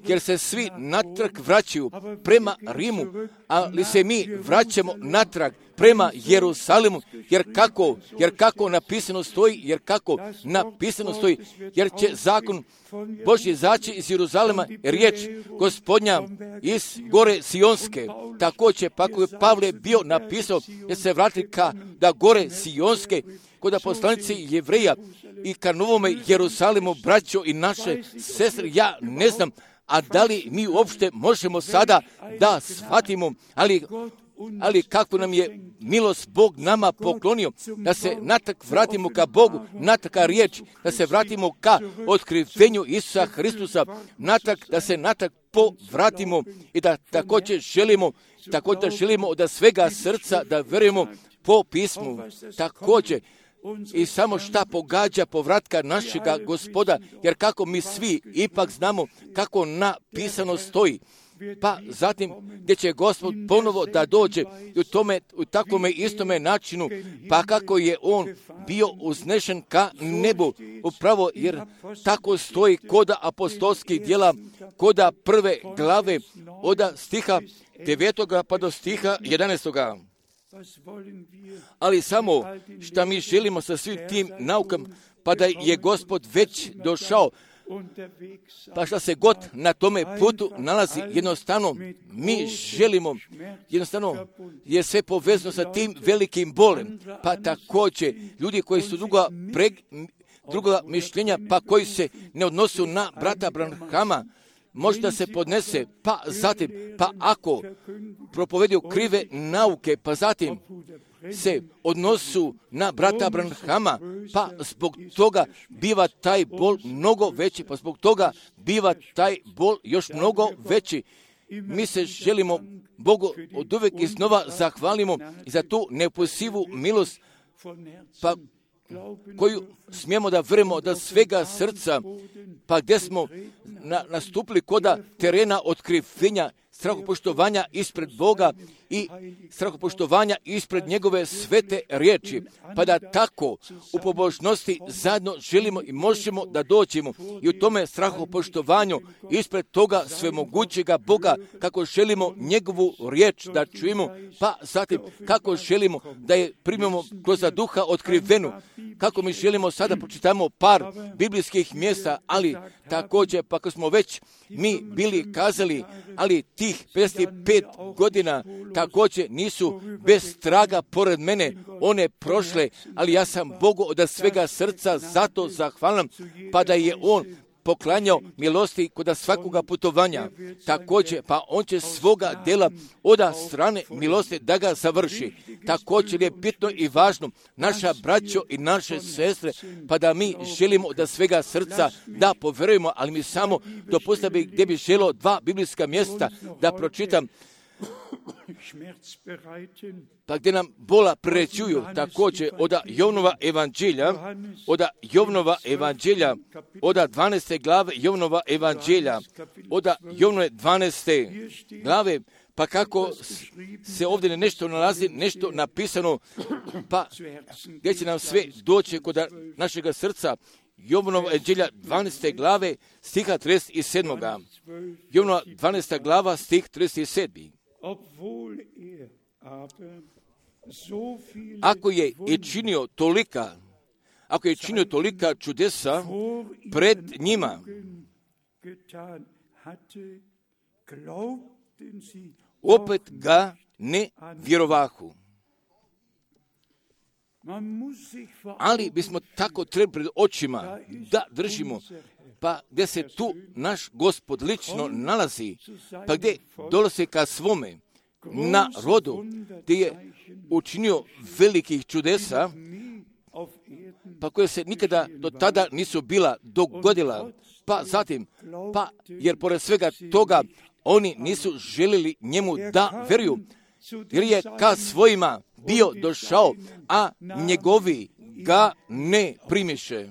jer se svi natrag vraćaju prema Rimu, ali se mi vraćamo natrag prema Jerusalimu, jer kako, jer kako napisano stoji, jer kako napisano stoji, jer će zakon Božji izaći iz Jeruzalema, riječ Gospodnja iz gore Sionske. Također, pa ako je Pavle bio napisao, jer se vrati ka da gore Sionske, kod poslanici Jevreja i ka novome Jerusalimu, braćo i naše sestre, ja ne znam, a da li mi uopšte možemo sada da shvatimo, ali ali kako nam je milost Bog nama poklonio, da se natrag vratimo ka Bogu, natrag ka riječ, da se vratimo ka otkrivenju Isusa Hristusa, natrag, da se natrag povratimo i da također želimo, također želimo od svega srca da vjerujemo po pismu. Također, i samo šta pogađa povratka našega Gospoda, jer kako mi svi ipak znamo kako napisano stoji. Pa zatim gdje će Gospod ponovo da dođe u tome, u takvome istome načinu, pa kako je on bio uznešen ka nebu, upravo jer tako stoji koda apostolskih djela, koda prve glave, od stiha devetoga pa do stiha jedanaestoga. Ali samo šta mi želimo sa svim tim naukama, pa da je Gospod već došao, pa šta se god na tome putu nalazi, jednostavno mi želimo, jednostavno je sve povezano sa tim velikim bolem, pa također ljudi koji su druga, preg, druga mišljenja, pa koji se ne odnosu na brata Branhama, možda se podnese, pa zatim, pa ako propovedu krive nauke, pa zatim se odnosu na brata Branhama, pa zbog toga biva taj bol mnogo veći, pa zbog toga biva taj bol još mnogo veći. Mi se želimo Bogu od uvijek iznova zahvalimo i za tu neoposivu milost, pa koju smijemo da vjerujemo od svega srca, pa gdje smo na, nastupili koda terena otkrivenja, strahopoštovanja ispred Boga i strahopoštovanja ispred njegove svete riječi, pa da tako u pobožnosti zajedno želimo i možemo da dođemo i u tome strahopoštovanju ispred toga svemogućega Boga, kako želimo njegovu riječ da čujemo, pa zatim kako želimo da je primimo kroz duha otkrivenu, kako mi želimo sada pročitamo par biblijskih mjesta, ali također pa ako smo već mi bili kazali, ali ti tih pedeset pet godina također nisu bez traga pored mene one prošle, ali ja sam Bogu od svega srca zato zahvalan, pa da je On poklanjao milosti kod svakoga putovanja. Također, pa on će svoga dela od strane milosti da ga završi. Također je bitno i važno, naša braćo i naše sestre, pa da mi želimo od svega srca da poverujemo, ali mi samo dopustite bi gdje bi želio dva biblijska mjesta da pročitam, pa gdje nam bola prerećuju također od Jovnova evanđelja, od Jovnova evanđelja, od dvanaeste glave Jovnova evanđelja, od Jovnove dvanaeste glave, pa kako se ovdje nešto nalazi, nešto napisano, pa gdje će nam sve doći kod našega srca, Jovnova evanđelja dvanaeste glave, stiha trideset sedam. Jovnova dvanaesta glava, stih trideset sedam. Ako je i činio tolika, ako je činio tolika čudesa pred njima, opet ga ne vjerovahu. Ali bismo tako trebali pred očima da držimo, pa gdje se tu naš Gospod lično nalazi, pa gdje dolazi ka svome narodu, gdje je učinio velikih čudesa, pa koje se nikada do tada nisu bila dogodila, pa zatim, pa jer pored svega toga oni nisu željeli njemu da vjeruju, jer je ka svojima bio došao, a njegovi ga ne primiše.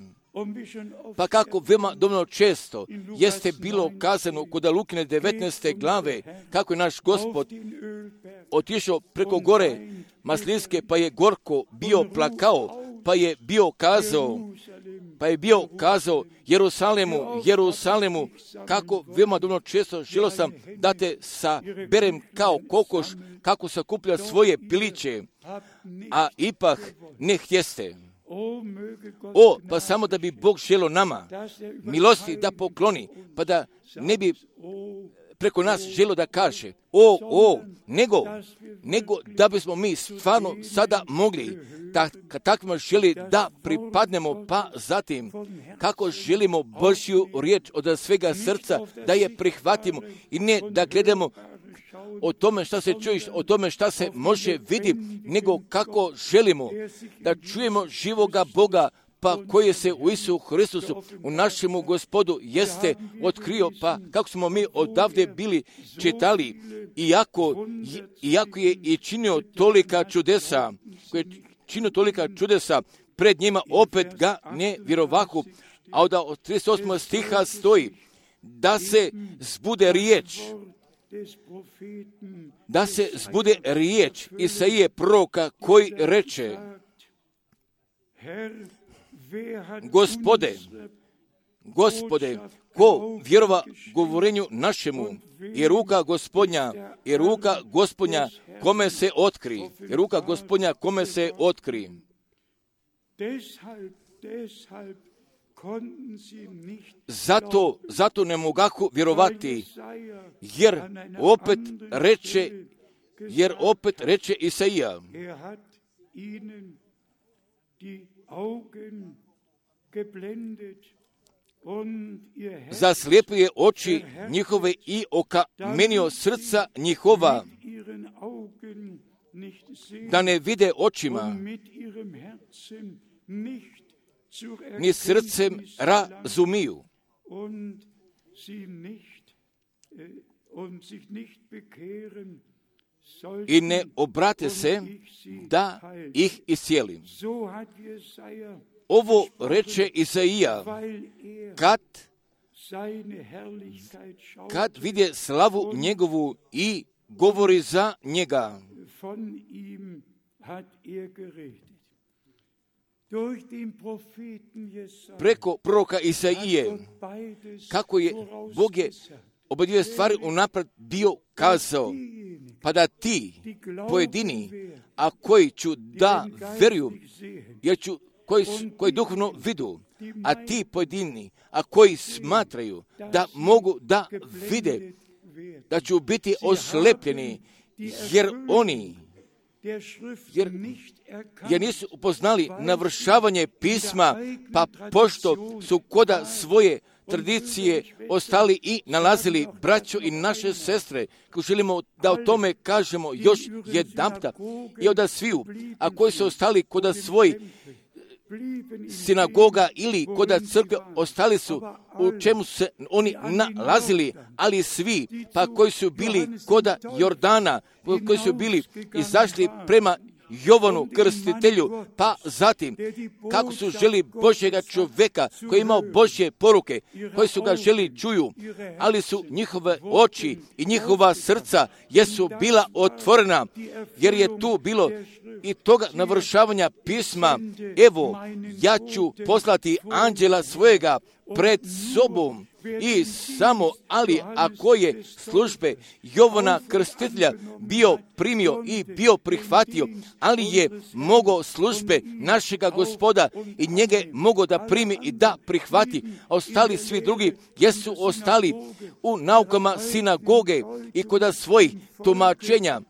Pa kako veoma dovoljno često jeste bilo kazano kod Lukine devetnaeste glave, kako je naš Gospod otišao preko gore Maslinske, pa je gorko bio plakao, pa je bio kazao, pa je bio kazao Jerusalemu, Jerusalemu, kako veoma dovoljno često želio sam da te saberem kao kokoš, kako sakuplja svoje piliće, a ipak ne htjeste. O, pa samo da bi Bog želio nama milosti da pokloni, pa da ne bi preko nas želio da kaže, o, o, nego, nego da bismo mi stvarno sada mogli, da, kad takvima želi da pripadnemo, pa zatim, kako želimo Božju riječ od svega srca, da je prihvatimo i ne da gledamo o tome šta se čuješ, o tome šta se može vidi, nego kako želimo da čujemo živoga Boga, pa koji se u Isu Hristusu, u našemu Gospodu, jeste otkrio, pa kako smo mi odavde bili čitali, iako, iako je i činio tolika čudesa, koji je činio tolika čudesa, pred njima opet ga ne vjerovahu, a od trideset osmog stiha stoji, da se zbude riječ, da se zbude riječ Isaije proroka koji reče, Gospode, Gospode, ko vjerova govorenju našemu, i ruka Gospodnja, i ruka Gospodnja kome se otkri, i ruka Gospodnja kome se otkri. Zato, zato ne mogahu vjerovati, jer opet reče, jer opet reče Isaija, zaslijepio je oči njihove i okamenio srca njihova, da ne vide očima, ni srcem razumiju, i ne obrate se da ih iscijelim. Ovo reče Isaija, kad, kad vidje slavu njegovu i govori za njega. Preko proroka Isaije, kako je Bog je oba dvije stvari unaprijed bio kazao, pa da ti pojedini, a koji ću da veruju, jer ću, koji, koji duhovno vidu, a ti pojedini, a koji smatraju da mogu da vide, da ću biti oslepljeni, jer oni jer, jer nisu upoznali navršavanje pisma, pa pošto su koda svoje tradicije ostali i nalazili braćo i naše sestre, koji želimo da o tome kažemo još jedanputa i od sviju, a koji su ostali koda svoj sinagoga ili koda crkve, ostali su u čemu se oni nalazili, ali svi, pa koji su bili koda Jordana, koji su bili izašli prema Jovanu Krstitelju, pa zatim kako su želi Božjega čovjeka koji je imao Božje poruke, koji su ga želi čuju, ali su njihove oči i njihova srca jesu bila otvorena, jer je tu bilo i toga navršavanja pisma. Evo, ja ću poslati anđela svojega pred sobom i samo, ali ako je službe Jovana Krstitelja bio primio i bio prihvatio, ali je mogao službe našega Gospoda i njege mogao da primi i da prihvati, a ostali svi drugi jesu ostali u naukama sinagoge i kod svojih tumačenja,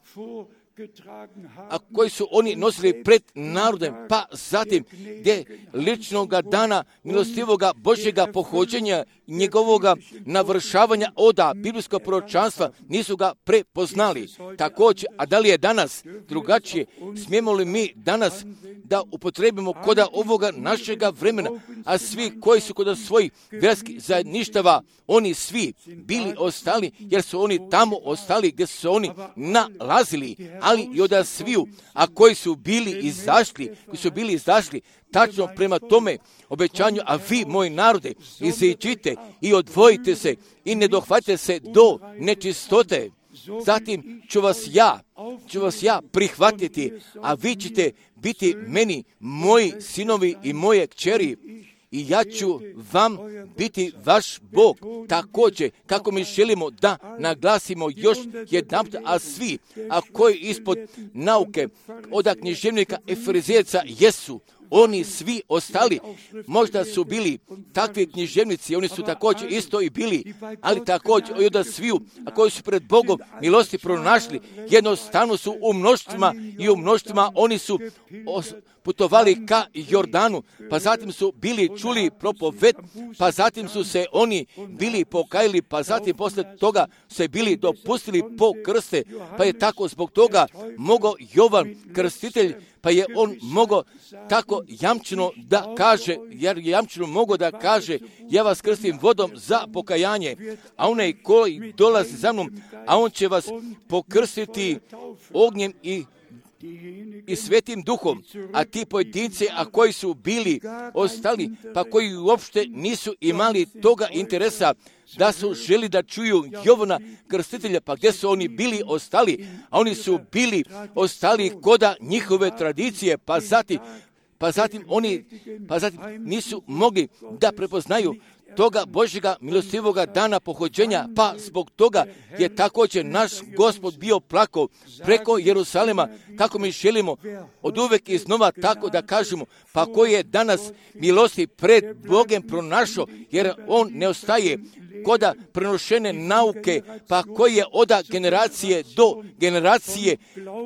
a koji su oni nosili pred narodem, pa zatim gdje ličnoga dana milostivoga Božjega pohođenja, njegovoga navršavanja oda biblijskog proročanstva nisu ga prepoznali. Također, a da li je danas drugačije? Smijemo li mi danas da upotrebimo koda ovoga našega vremena, a svi koji su kod svojih vjerskih zajedništava, oni svi bili ostali, jer su oni tamo ostali gdje su oni nalazili, ali i od sviju, a koji su bili izašli, koji su bili izašli tačno prema tome obećanju, a vi, moji narode, iziđite i odvojite se i ne dohvatite se do nečistote. Zatim ću vas ja, ću vas ja prihvatiti, a vi ćete biti meni moji sinovi i moje kćeri. I ja ću vam biti vaš Bog. Također, kako mi želimo da naglasimo još jedanput, a svi, a koji ispod nauke od književnika Efezijaca jesu, oni svi ostali, možda su bili takvi književnici, oni su također isto i bili, ali također i od sviju, a koji su pred Bogom milosti pronašli, jednostavno su u mnoštvima i u mnoštvima oni su os- putovali ka Jordanu, pa zatim su bili čuli propoved, pa zatim su se oni bili pokajali, pa zatim posle toga se bili dopustili po krste, pa je tako zbog toga mogao Jovan Krstitelj, pa je on mogao tako jamčeno da kaže, jer je jamčeno mogao da kaže, ja vas krstim vodom za pokajanje, a onaj koji dolazi za mnom, a on će vas pokrstiti ognjem i i svetim duhom, a ti pojedinci, a koji su bili ostali, pa koji uopšte nisu imali toga interesa da su želi da čuju Jovana Krstitelja, pa gdje su oni bili ostali, a oni su bili ostali koda njihove tradicije, pa zatim, pa zatim oni, pa zatim nisu mogli da prepoznaju toga Božjega milostivoga dana pohođenja, pa zbog toga je također naš Gospod bio plakao preko Jerusalema, kako mi želimo od uvek iznova tako da kažemo, pa koji je danas milosti pred Bogem pronašao, jer on ne ostaje koda prenošene nauke, pa koji je oda generacije do generacije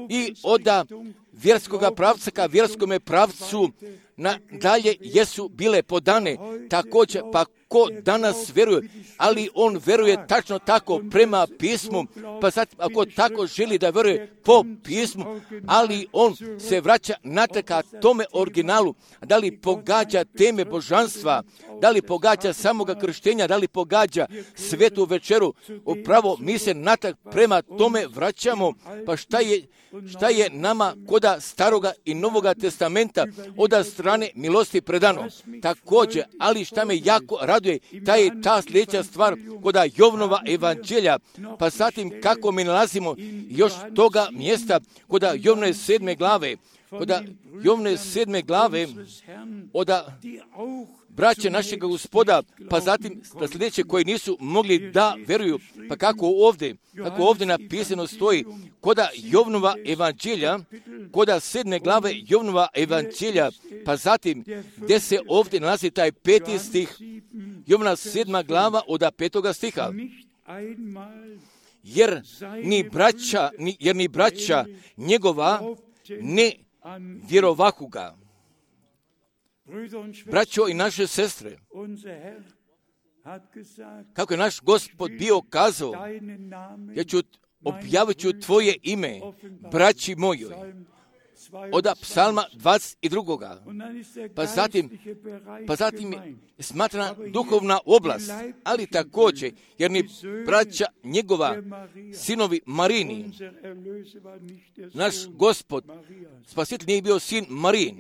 i oda vjerskoga pravca ka vjerskome pravcu na dalje jesu bile podane. Također, pa ko danas vjeruje, ali on vjeruje tačno tako prema pismu, pa sad ako tako želi da vjeruje po pismu, ali on se vraća natrag ka tome originalu, da li pogađa teme božanstva, da li pogađa samoga krštenja, da li pogađa svetu večeru, upravo mi se natrag prema tome vraćamo, pa šta je šta je nama koda staroga i novoga testamenta od strane milosti predano. Također, ali šta me jako raduje, ta je ta sljedeća stvar koda Jovnova evanđelja, pa zatim kako mi nalazimo još toga mjesta koda Jovne sedme glave, koda Jovne sedme glave od braće našega Gospoda, pa zatim da sljedeće koji nisu mogli da vjeruju, pa kako ovdje, kako ovdje napisano stoji, koda Jovnova evanđelja, koda sedme glave Jovnova evanđelja, pa zatim gdje se ovdje nalazi taj peti stih, Jovna sedma glava od petoga stiha. jer ni braća, ni, jer ni braća njegova ne vjerovahu ga. Braćo i naše sestre, kako je naš Gospod bio kazao, ja ću objavit ću tvoje ime, braći mojoj, od psalma dvadeset dva. Pa zatim, pa zatim je smatrana duhovna oblast, ali također, jer ni braća njegova, sinovi Marini, naš Gospod, Spasitelj nije bio sin Marin,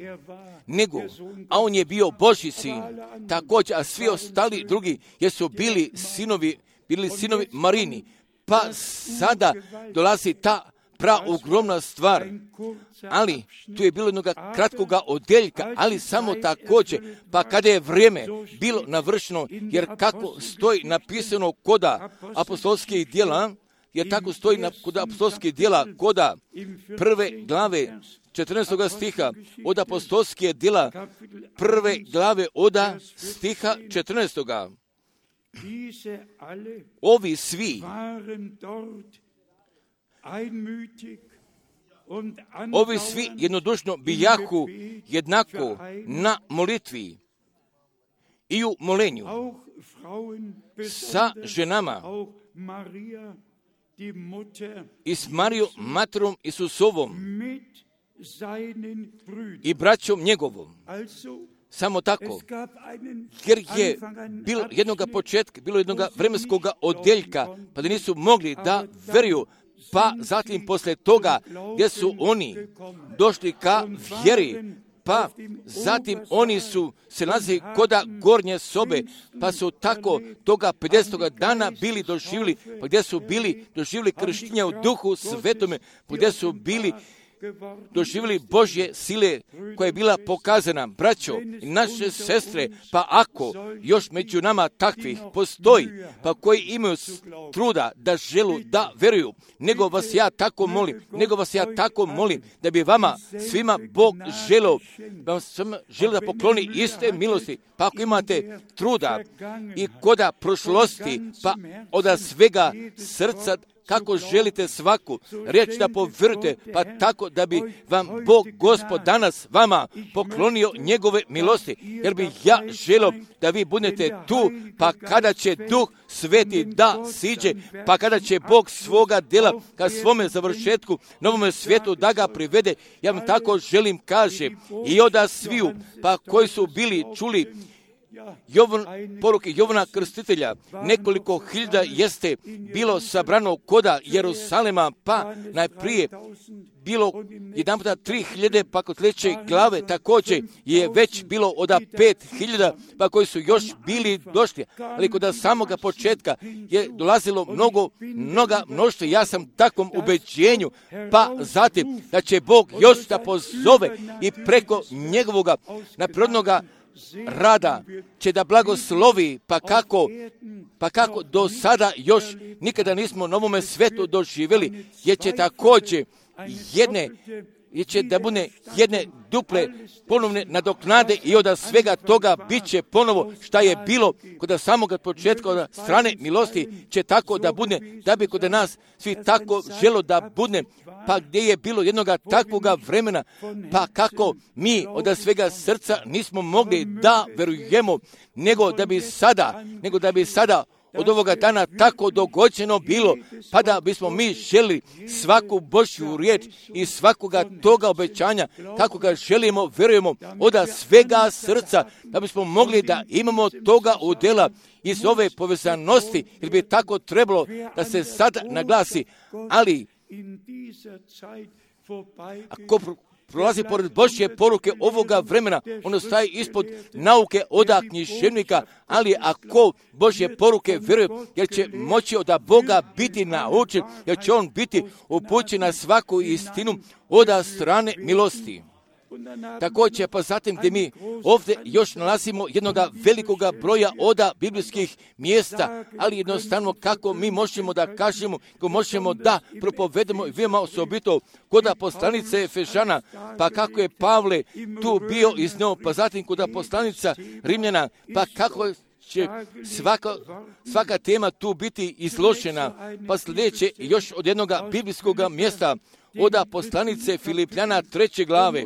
nego, a on je bio Božji sin, također, a svi ostali drugi jesu bili sinovi, bili sinovi Marini. Pa sada dolazi ta pra ogromna stvar, ali tu je bilo jednog kratkoga odeljka, ali samo također, pa kada je vrijeme bilo navršeno, jer kako stoji napisano koda apostolskih djela, jer tako stoji na, kod apostolskih djela koda prve glave četrnaestog stiha od apostolskih djela prve glave od stiha četrnaestog. Ovi svi Ovi svi jednodušno bijahu jednako na molitvi i u molenju sa ženama i s Marijom, materom Isusovom i braćom njegovom. Samo tako, jer je bilo jednog početka, bilo jednog vremenskog odeljka, pa da nisu mogli da veruju, pa zatim posle toga gdje su oni došli ka vjeri, pa zatim oni su se nalazili koda gornje sobe, pa su tako toga pedesetog dana bili doživjeli, pa gdje su bili doživjeli krštenje u duhu svetome, pa gdje su bili doživjeli Božje sile koja je bila pokazana. Braćo i naše sestre, pa ako još među nama takvih postoji, pa koji imaju truda da želu da veruju, nego vas ja tako molim, nego vas ja tako molim da bi vama svima Bog želeo, da vam svima želi da pokloni iste milosti, pa ako imate truda i koda prošlosti, pa od svega srca kako želite svaku riječ da povjerujete, pa tako da bi vam Bog Gospod danas vama poklonio njegove milosti, jer bi ja želio da vi budete tu, pa kada će Duh Sveti da siđe, pa kada će Bog svoga djela ka svome završetku, novome svijetu da ga privede, ja vam tako želim kaže, i oda sviju, pa koji su bili čuli Jovan, poruke Jovana Krstitelja, nekoliko hiljada jeste bilo sabrano koda Jerusalema, pa najprije bilo jedan puta tri hiljade, pa kod sljedeće glave također je već bilo od pet hiljada, pa koji su još bili došli. Ali kod samoga početka je dolazilo mnogo, mnoga mnoštva. Ja sam takvom ubeđenju, pa zatim da će Bog još da pozove i preko njegovoga naprirodnoga rada će da blagoslovi, pa kako, pa kako do sada još nikada nismo na ovome svetu doživjeli, jer će također jedne, jer će da bude jedne duple ponovne nadoknade i od svega toga bit će ponovo šta je bilo kod samog početka od strane milosti će tako da bude, da bi kod nas svi tako želo da bude, pa gdje je bilo jednoga takvoga vremena, pa kako mi od svega srca nismo mogli da verujemo, nego da bi sada, nego da bi sada od ovoga dana tako dogođeno bilo, pa da bismo mi želi svaku Božju riječ i svakoga toga obećanja, kako ga želimo, verujemo od svega srca, da bismo mogli da imamo toga udjela iz ove povezanosti, jer bi tako trebalo da se sad naglasi, ali ako prolazi pored Božje poruke ovoga vremena, ono staje ispod nauke oda književnika, ali ako Božje poruke vjeruje, jer će moći od Boga biti naučen, jer će on biti upućen na svaku istinu od strane milosti. Također, pa zatim gdje mi ovdje još nalazimo jednog velikoga broja oda biblijskih mjesta, ali jednostavno kako mi možemo da kažemo, kako možemo da propovedemo i veoma osobito kod poslanice Efežana, pa kako je Pavle tu bio iznio, pa zatim kod poslanica Rimljana, pa kako će svaka, svaka tema tu biti izložena. Pa sljedeće još od jednog biblijskog mjesta, od poslanice Filipljana treće glave,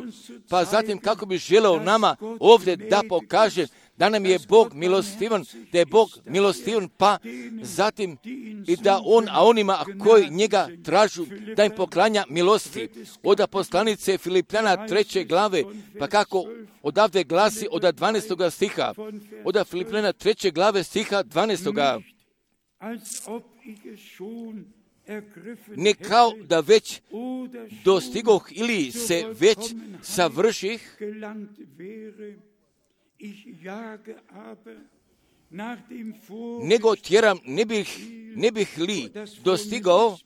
pa zatim kako bi želeo nama ovdje da pokaže da nam je Bog milostivan, da je Bog milostivan, pa zatim i da On, a onima koji njega tražu, da im poklanja milosti. Od poslanice Filipljana treće glave, pa kako odavde glasi od dvanaestog stiha, od Filipljana treće glave stiha dvanaestog. Ne kao da već dostigoh ili se već savrših, nego tjeram, ne bih, ne bih li dostigao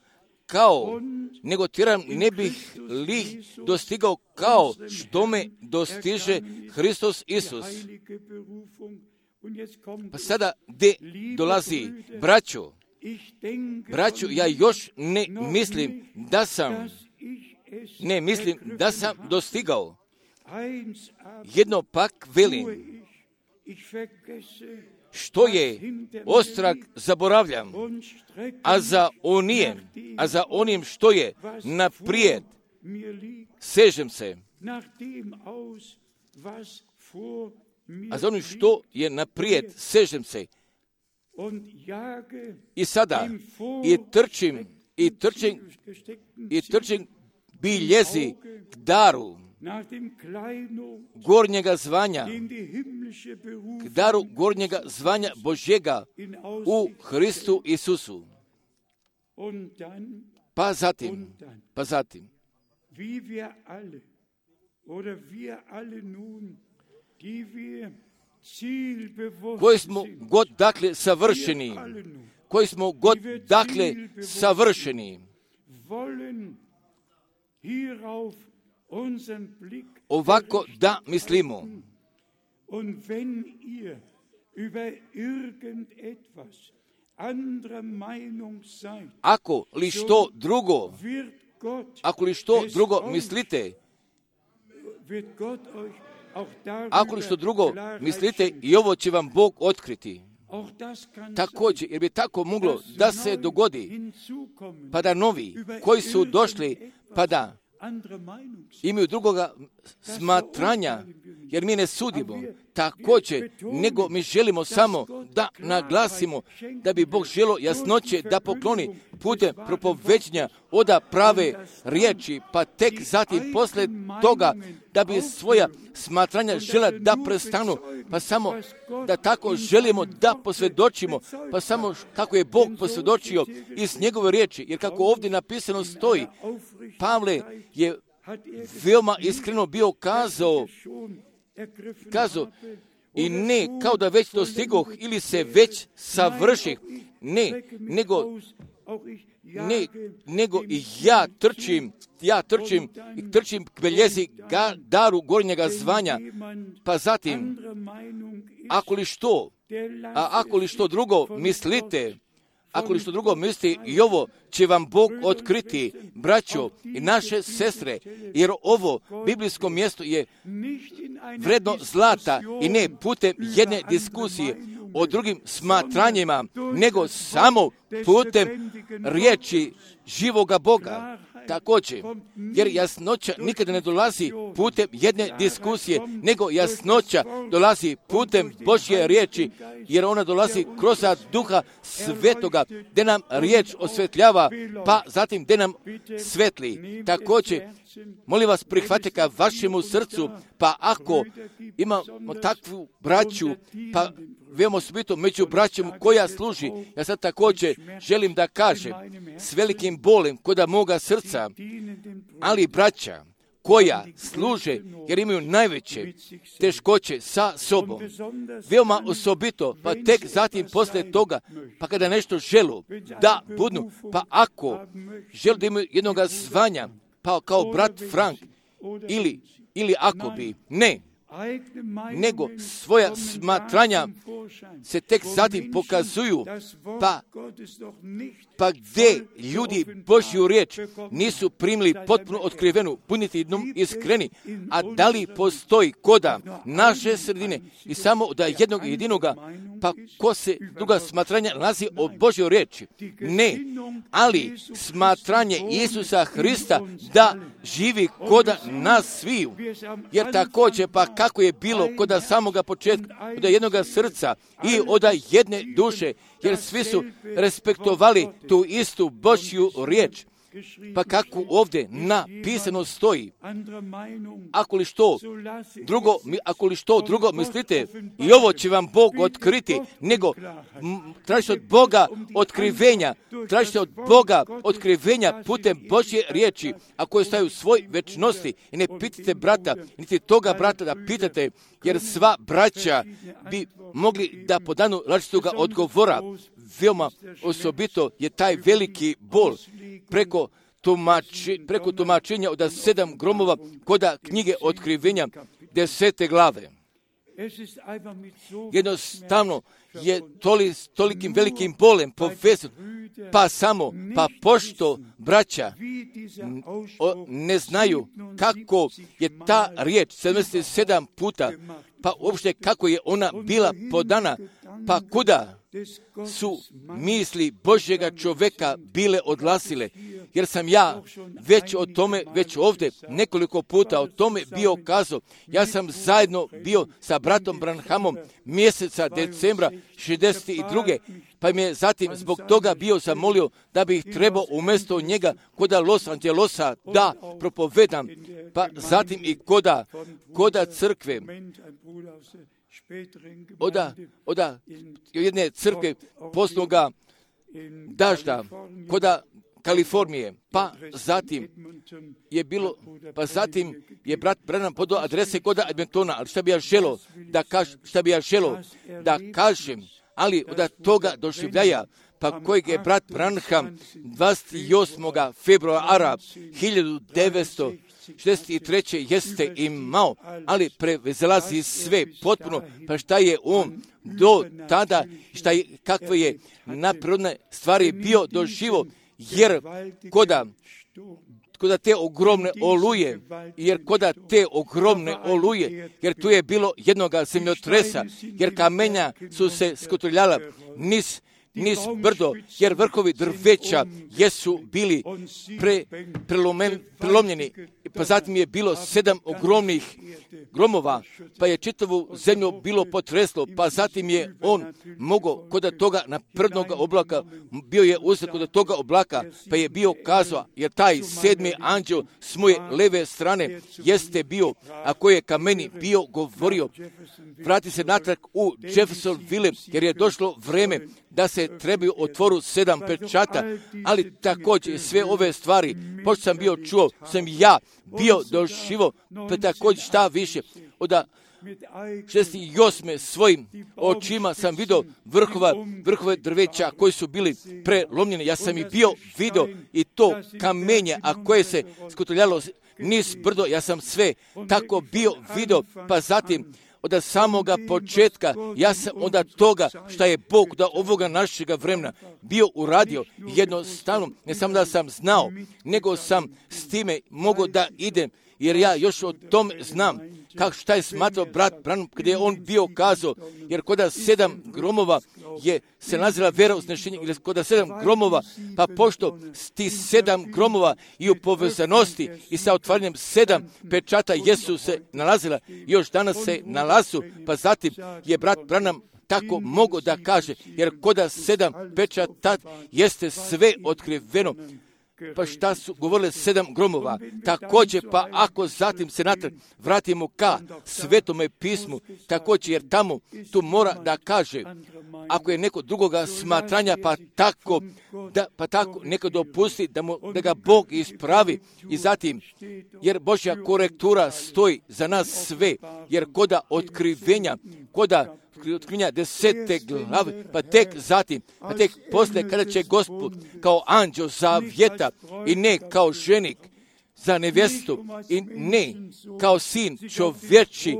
kao, nego tjeram, ne bih li dostigao kao što me dostiže Hristos Isus. Pa sada gdje dolazi braćo? Braćo, ja još ne mislim da sam, ne mislim da sam dostigao. Jedno pak velim, što je ostrag zaboravljam, a za onijem, a za onim što je naprijed sežem se. A za onim što je naprijed sežem se. I sada, i trčim, i trčim, i trčim biljezi k daru gornjega zvanja, k daru gornjega zvanja Božjega u Hristu Isusu. Pa zatim, pa zatim, koji smo god dakle savršeni, koji smo god dakle savršeni, ovako da mislimo. Ako li što drugo, ako li što drugo mislite, ako li što drugo mislite, i ovo će vam Bog otkriti. Također, jer bi tako moglo da se dogodi, pa da novi koji su došli, pa da imaju drugoga smatranja, jer mi ne sudimo također, nego mi želimo samo da naglasimo da bi Bog želio jasnoće da pokloni putem propoveđenja oda prave riječi, pa tek zatim posle toga da bi svoja smatranja žela da prestanu, pa samo da tako želimo da posvjedočimo, pa samo kako je Bog posvjedočio iz njegove riječi, jer kako ovdje napisano stoji, Pavle je veoma iskreno bio kazao, kazao, i ne kao da već dostigoh ili se već savrših, ne, nego, ne, nego i ja trčim, ja trčim i trčim k beljezi ga, daru gornjega zvanja, pa zatim, ako li što, a ako li što drugo mislite, ako li što drugo mislite, i ovo će vam Bog otkriti, braćo i naše sestre, jer ovo biblijsko mjesto je vredno zlata i ne putem jedne diskusije o drugim smatranjima, nego samo putem riječi živoga Boga. Također, jer jasnoća nikada ne dolazi putem jedne diskusije, nego jasnoća dolazi putem Božje riječi, jer ona dolazi kroz Duha Svetoga, gdje nam riječ osvetljava, pa zatim gdje nam svetli. Također, molim vas, prihvatite ka vašemu srcu, pa ako imamo takvu braću, pa veoma osobito među braćom koja služi, ja sad također želim da kažem s velikim bolem kod moga srca, ali braća koja služe jer imaju najveće teškoće sa sobom, veoma osobito, pa tek zatim poslije toga, pa kada nešto želu da budu, pa ako žele da imaju jednog zvanja, pa kao brat Frank, ili, ili ako bi, ne, nego svoja smatranja se tek zatim pokazuju, pa, pa gdje ljudi Božju riječ nisu primili potpuno otkrivenu, budite jednom iskreni, a da li postoji koda naše sredine i samo da jednog jedinoga pa ko se druga smatranja nalazi o Božjoj riječi? Ne, ali smatranje Isusa Hrista da živi koda nas sviju. Jer također, pa kako je bilo koda samoga početka, od jednoga srca i od jedne duše, jer svi su respektovali tu istu Božju riječ. Pa kako ovdje napisano stoji, ako li što drugo, ako li što drugo mislite, i ovo će vam Bog otkriti, nego m, tražite od Boga otkrivenja, tražite od Boga otkrivenja putem Božje riječi, a koje staju u svoj večnosti. I ne pitate brata, niti toga brata da pitate, jer sva braća bi mogli da po danu različitoga odgovora. Veoma osobito je taj veliki bol preko, tumači, preko tumačenja od sedam gromova koda knjige otkrivenja desete glave. Jednostavno je toli, tolikim velikim bolem povezan, pa samo, pa pošto braća o, ne znaju kako je ta riječ sedamdeset sedam puta, pa uopšte kako je ona bila podana, pa kuda su misli Božjega čovjeka bile odlasile, jer sam ja već o tome, već ovdje nekoliko puta o tome bio kazao. Ja sam zajedno bio sa bratom Branhamom mjeseca decembra šezdeset druge pa mi je zatim zbog toga bio zamolio da bih trebao umjesto njega koda Los Angelosa da propovedam, pa zatim i koda, koda crkve, oda, oda jedne crkve posloga dažda, koda Kalifornije, pa zatim je bilo, pa zatim je brat Branham podao adrese koda Edmontona, ali šta bi ja želo da kaž, šta bi ja želo da kažem, ali od toga doživljaja, pa kojeg je brat Branham dvadeset osmog februara hiljadu devetsto šezdeset treće jeste imao, ali prevezelazi sve potpuno, pa šta je on do tada, šta je, kakve je napredne stvari bio doživo, jer koda, koda te ogromne oluje, jer koda te ogromne oluje, jer tu je bilo jednoga zemljotresa, jer kamenja su se skotrljala niz, niz brdo, jer vrhovi drveća jesu bili pre, prelomen, prelomljeni, pa zatim je bilo sedam ogromnih gromova, pa je čitavu zemlju bilo potreslo, pa zatim je on mogao kod toga naprednog oblaka, bio je uzet kod toga oblaka, pa je bio kazao, jer taj sedmi anđel s moje leve strane jeste bio, a koji je ka meni bio govorio, vrati se natrag u Jeffersonville, jer je došlo vreme da se trebaju otvoru sedam pečata, ali također sve ove stvari, pošto sam bio čuo, sam ja bio doživo, pa također šta više, od šezdeset osme svojim očima sam vidio vrhova, vrhove drveća koji su bili prelomljeni. Ja sam i bio vidio i to kamenje, a koje se skotrljalo niz brdo, ja sam sve tako bio vidio, pa zatim od samoga početka, ja sam onda toga šta je Bog da ovoga našega vremena bio uradio, jednostavno, ne samo da sam znao, nego sam s time mogao da idem, jer ja još o tom znam, kako šta je smatrao brat Branham, gdje je on bio kazao, jer koda sedam gromova je se nazvala vera uznešenja, ili koda sedam gromova, pa pošto ti sedam gromova i u povezanosti i sa otvaranjem sedam pečata jesu se nalazila, još danas se nalazu, pa zatim je brat Branham tako mogo da kaže, jer koda sedam pečata jeste sve otkriveno. Pa šta su govorile sedam gromova? Također, pa ako zatim se natrag vratimo ka Svetome pismu, također, jer tamo tu mora da kaže, ako je neko drugoga smatranja, pa tako, da, pa tako neko dopusti da, mu, da ga Bog ispravi i zatim, jer Božja korektura stoji za nas sve, jer koda otkrivenja, koda otkrivenja desete glave, pa tek zatim, pa tek poslije kada će Gospod kao anđeo zavjeta i ne kao ženik za nevjestu i ne kao sin čovječi,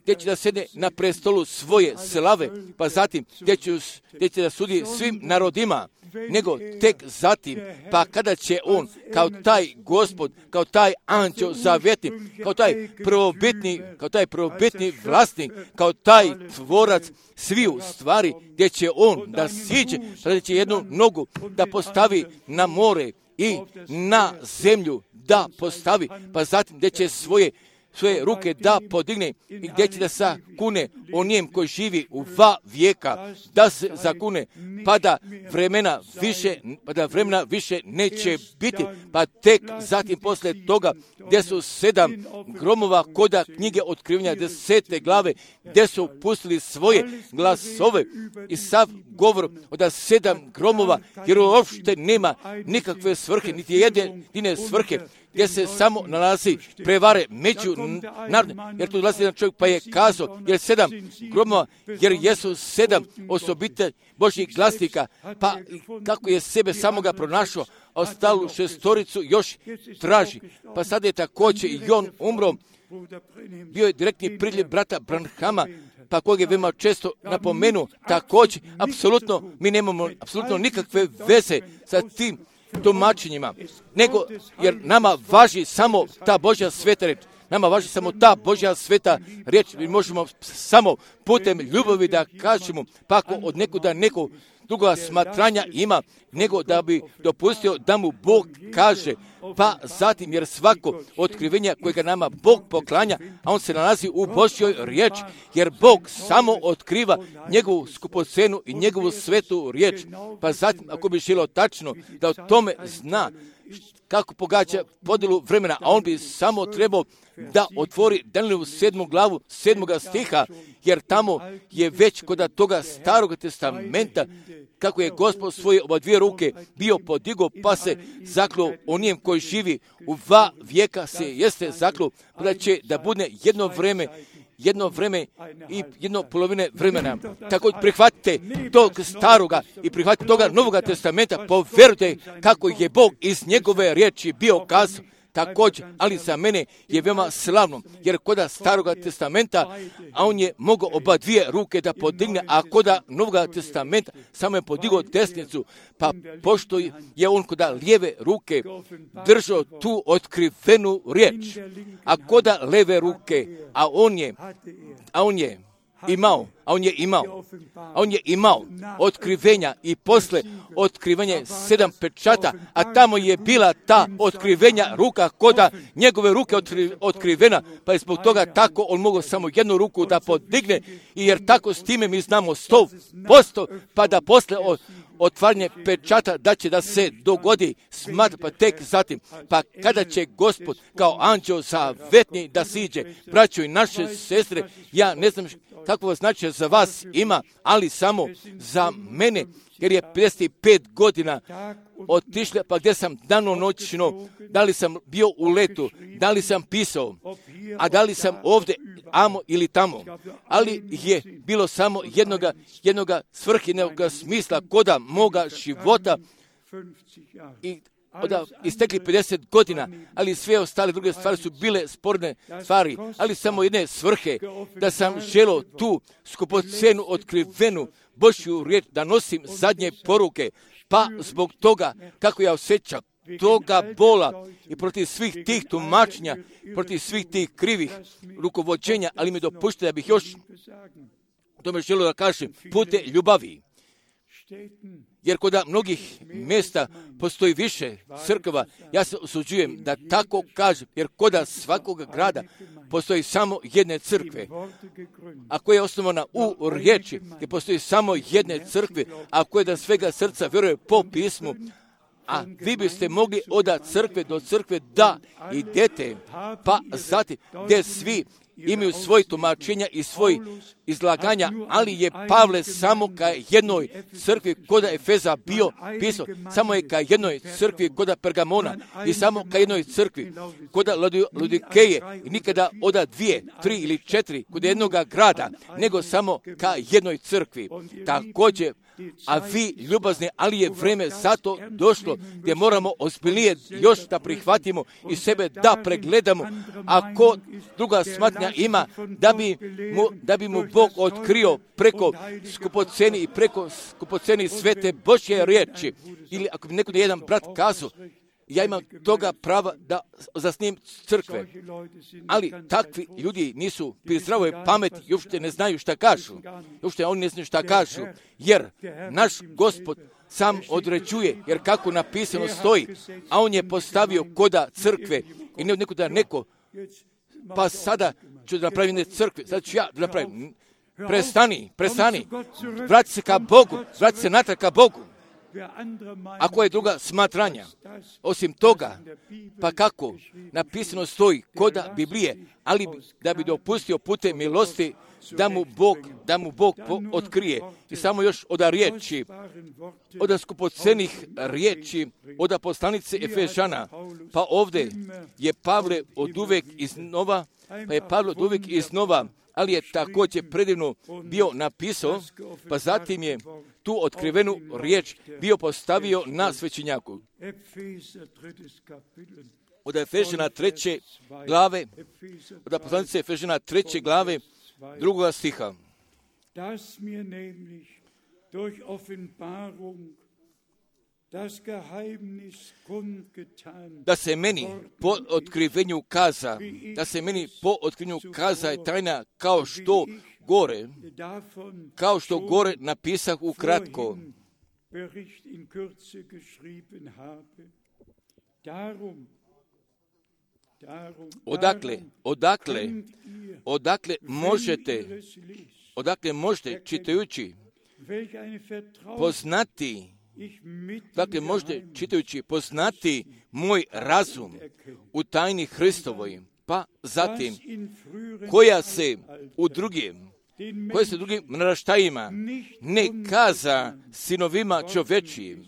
gdje će da sede na prestolu svoje slave, pa zatim gdje će, gdje će da sudi svim narodima, nego tek zatim, pa kada će on, kao taj Gospod, kao taj anđeo zavjetni, kao taj prvobitni, kao taj prvobitni vlasnik, kao taj tvorac sviju stvari, gdje će on da siđe, da će jednu nogu da postavi na more i na zemlju da postavi, pa zatim gdje će svoje svoje ruke da podigne i gdje će da sakune onijem koji živi u dva vijeka, da se zakune, pa da vremena više, pa da vremena više neće biti, pa tek zatim poslije toga gdje su sedam gromova koda knjige otkrivanja desete glave, gdje su pustili svoje glasove i sav govor od sedam gromova, jer uopšte nema nikakve svrhe, niti jedine svrhe, gdje se samo nalazi prevare među narodne, jer tu dolazi jedan čovjek pa je kazao, jer sedam gromova, jer jesu sedam osobite Božjih glasnika, pa kako je sebe samoga pronašao, a ostalu šestoricu još traži. Pa sad je također i on umro, bio je direktni priljev brata Branhama, pa kojeg je veoma često napomenuo, također, apsolutno, mi nemamo apsolutno nikakve veze sa tim tumačenjima, nego jer nama važi samo ta Božja sveta reč. Nama važi samo ta Božja sveta riječ. Mi možemo samo putem ljubavi da kažemo, pa ako od nekuda neko druga smatranja ima, nego da bi dopustio da mu Bog kaže, pa zatim, jer svako otkrivenje kojega nama Bog poklanja, a on se nalazi u Božjoj riječi, jer Bog samo otkriva njegovu skupocenu i njegovu svetu riječ, pa zatim, ako bi želio tačno da o tome zna kako pogađa podjelu vremena, a on bi samo trebao da otvori Danijelovu sedmu glavu, sedmoga stiha, jer tamo je već kod toga starog testamenta, kako je Gospod svoje oba dvije ruke bio podigo, pa se zaklo onijem koji živi u dva vijeka se jeste zaklo, pa da će da bude jedno vreme, jedno vreme i jedno polovine vremena. Tako prihvatite tog staroga i prihvatite toga novoga testamenta, povjerujte kako je Bog iz njegove riječi bio kazao. Također, ali za mene je veoma slavno, jer koda staroga testamenta, a on je mogao oba dvije ruke da podigne, a koda novoga testamenta samo je podigao desnicu, pa pošto je on koda lijeve ruke držao tu otkrivenu riječ, a koda leve ruke, a on je, a on je imao, a on je imao, a on je imao otkrivenja i posle otkrivanje sedam pečata, a tamo je bila ta otkrivenja ruka koda njegove ruke otkri, otkrivena, pa je zbog toga tako on mogao samo jednu ruku da podigne, i jer tako s time mi znamo sto posto, pa da posle od otvaranje pečata da će da se dogodi smatra, pa tek zatim, pa kada će Gospod kao anđeo zavetni da siđe, braćo i naše sestre, ja ne znam kakvo značaj za vas ima, ali samo za mene, jer je pedeset pet godina otišla, pa gdje sam danonoćno, da li sam bio u letu, da li sam pisao, a da li sam ovdje, amo ili tamo, ali je bilo samo jednoga, jednoga svrhinog smisla koda moga života i da istekli pedeset godina, ali sve ostale druge stvari su bile sporne stvari, ali samo jedne svrhe, da sam želio tu skupocenu otkrivenu Božju riječ da nosim zadnje poruke, pa zbog toga kako ja osjećam toga bola i protiv svih tih tumačenja, protiv svih tih krivih rukovođenja, ali mi dopušte da bih još tome želio da kažem pute ljubavi. Jer kod mnogih mjesta postoji više crkava, ja se osuđujem da tako kažem, jer kod svakog grada postoji samo jedne crkve, a koja je osnovana u riječi, gdje postoji samo jedne crkve, a koja da svega srca vjeruje po pismu, a vi biste mogli od crkve do crkve da idete, pa zatim gdje svi imaju svoje tumačenja i svoje izlaganja, ali je Pavle samo ka jednoj crkvi koda Efeza bio pisao, samo je ka jednoj crkvi koda Pergamona i samo ka jednoj crkvi koda Laodikeje, i nikada oda dvije, tri ili četiri kod jednoga grada, nego samo ka jednoj crkvi. Također, a vi ljubazni, ali je vreme zato došlo gdje moramo ozbiljnije još da prihvatimo i sebe da pregledamo. Ako druga smatnja ima, da bi mu, da bi mu Bog otkrio preko skupoceni i preko skupoceni svete Božje riječi. Ili ako bi neko jedan brat kazao, ja imam toga prava da zasnim crkve. Ali takvi ljudi nisu pri zdravoj pameti i uopšte ne znaju šta kažu. Uopšte oni ne znaju šta kažu. Jer naš Gospod sam određuje, jer kako napisano stoji, a on je postavio koda crkve i ne od nekuda neko, pa sada ću da napravim ne crkve, sada ću ja da napravim. Prestani, prestani, vrati se ka Bogu, vrati se natrag ka Bogu. Ako je druga smatranja, osim toga, pa kako napisano stoji koda Biblije, ali da bi dopustio putem milosti da mu Bog, da mu Bog otkrije. I samo još od riječi, od skupocenih riječi, od poslanice Efežana, pa ovdje je Pavle od uvek iznova, pa je Pavle od uvek iznova, ali je također predivno bio napisao, pa zatim je tu otkrivenu riječ bio postavio na svećenjaku. Od Efežana treće glave, od poslanice Efežana treće glave, drugoga stiha. Das mir nämlich durch Offenbarung das Geheimnis kundgetan. Da se meni po otkrivenju kaza, da se meni po otkrivenju kaza je tajna kao što gore, kao što gore napisah ukratko. Bericht in Kürze geschrieben habe. Darum Odakle, odakle, odakle možete, odakle možete čitajući poznati, dakle možete čitajući poznati moj razum u tajni Hristovoj, pa zatim koja se u drugim, koja se drugim naraštajima ne kaza sinovima čovečijim,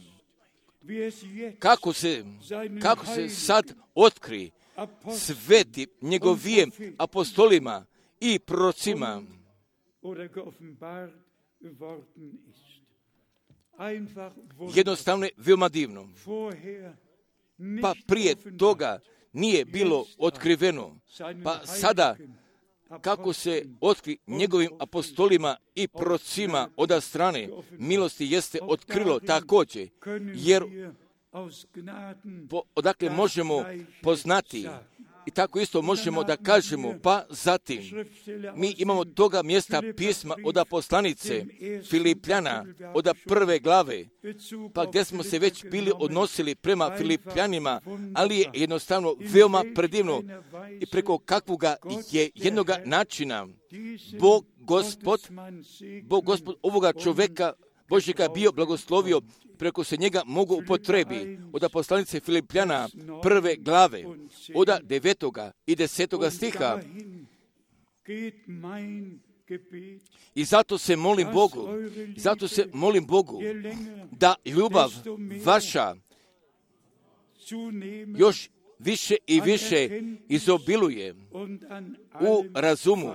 kako se, kako se sad otkri sveti njegovijem apostolima i prorocima. Jednostavno je veoma divno. Pa prije toga nije bilo otkriveno. Pa sada kako se otkri njegovim apostolima i prorocima od strane milosti jeste otkrilo također, jer po, odakle možemo poznati i tako isto možemo da kažemo, pa zatim mi imamo toga mjesta pisma od poslanice Filipljana, od prve glave, pa gdje smo se već bili odnosili prema Filipljanima, ali je jednostavno veoma predivno i preko kakvoga je jednoga načina Bog Gospod, Bog Gospod ovoga čoveka Božjega bio blagoslovio, preko se njega mogu upotrebi od poslanice Filipljana prve glave, od devetoga i desetoga stiha. I zato se molim Bogu, zato se molim Bogu da ljubav vaša još više i više izobiluje u razumu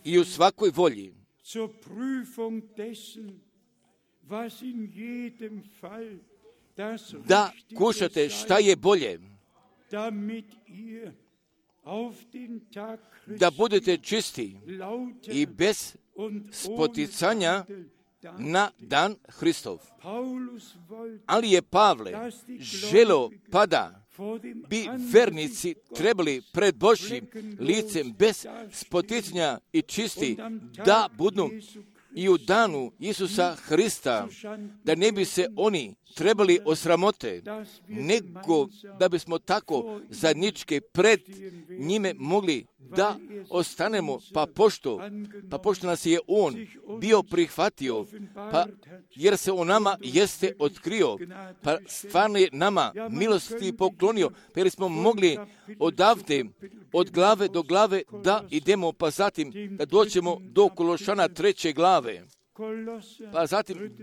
i u svakoj volji, da kušate šta je bolje, da budete čisti i bez spoticanja na dan Hristov. Ali je Pavle želeo pada bi vernici trebali pred Božjim licem bez spoticanja i čisti da budu i u danu Isusa Hrista, da ne bi se oni trebali osramote, nego da bismo tako zajednički pred njime mogli da ostanemo, pa pošto, pa pošto nas je on bio prihvatio, pa jer se on nama jeste otkrio, pa stvarno je nama milosti poklonio, pa jer smo mogli odavde, od glave do glave da idemo, pa zatim da doćemo do Kološana treće glave, pa zatim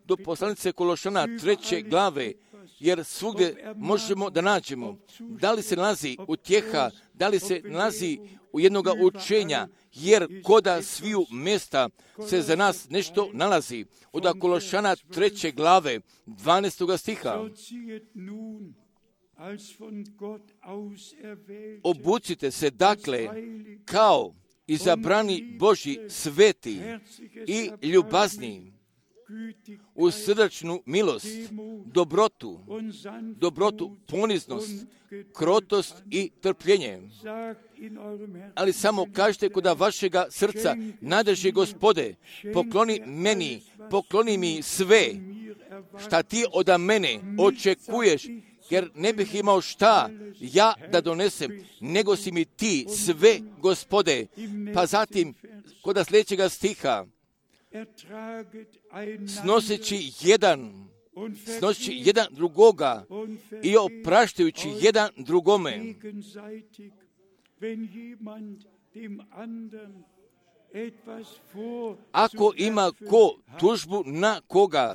do poslanice Kološana treće glave, jer svugdje možemo da nađemo. Da li se nalazi utjeha, da li se nalazi u jednoga učenja, jer koda sviju mjesta se za nas nešto nalazi. Od Kološana treće glave, dvanaestoga stiha. Obucite se dakle kao izabrani Božji sveti i ljubazni, u srdačnu milost, dobrotu, dobrotu, poniznost, krotost i trpljenje. Ali samo kažete koda vašega srca, nadrži Gospode, pokloni meni, pokloni mi sve, šta ti od mene očekuješ, jer ne bih imao šta ja da donesem, nego si mi ti sve, Gospode. Pa zatim, koda sljedećega stiha, snoseći jedan, snoseći jedan drugoga i opraštajući jedan drugome. Ako ima ko tužbu na koga,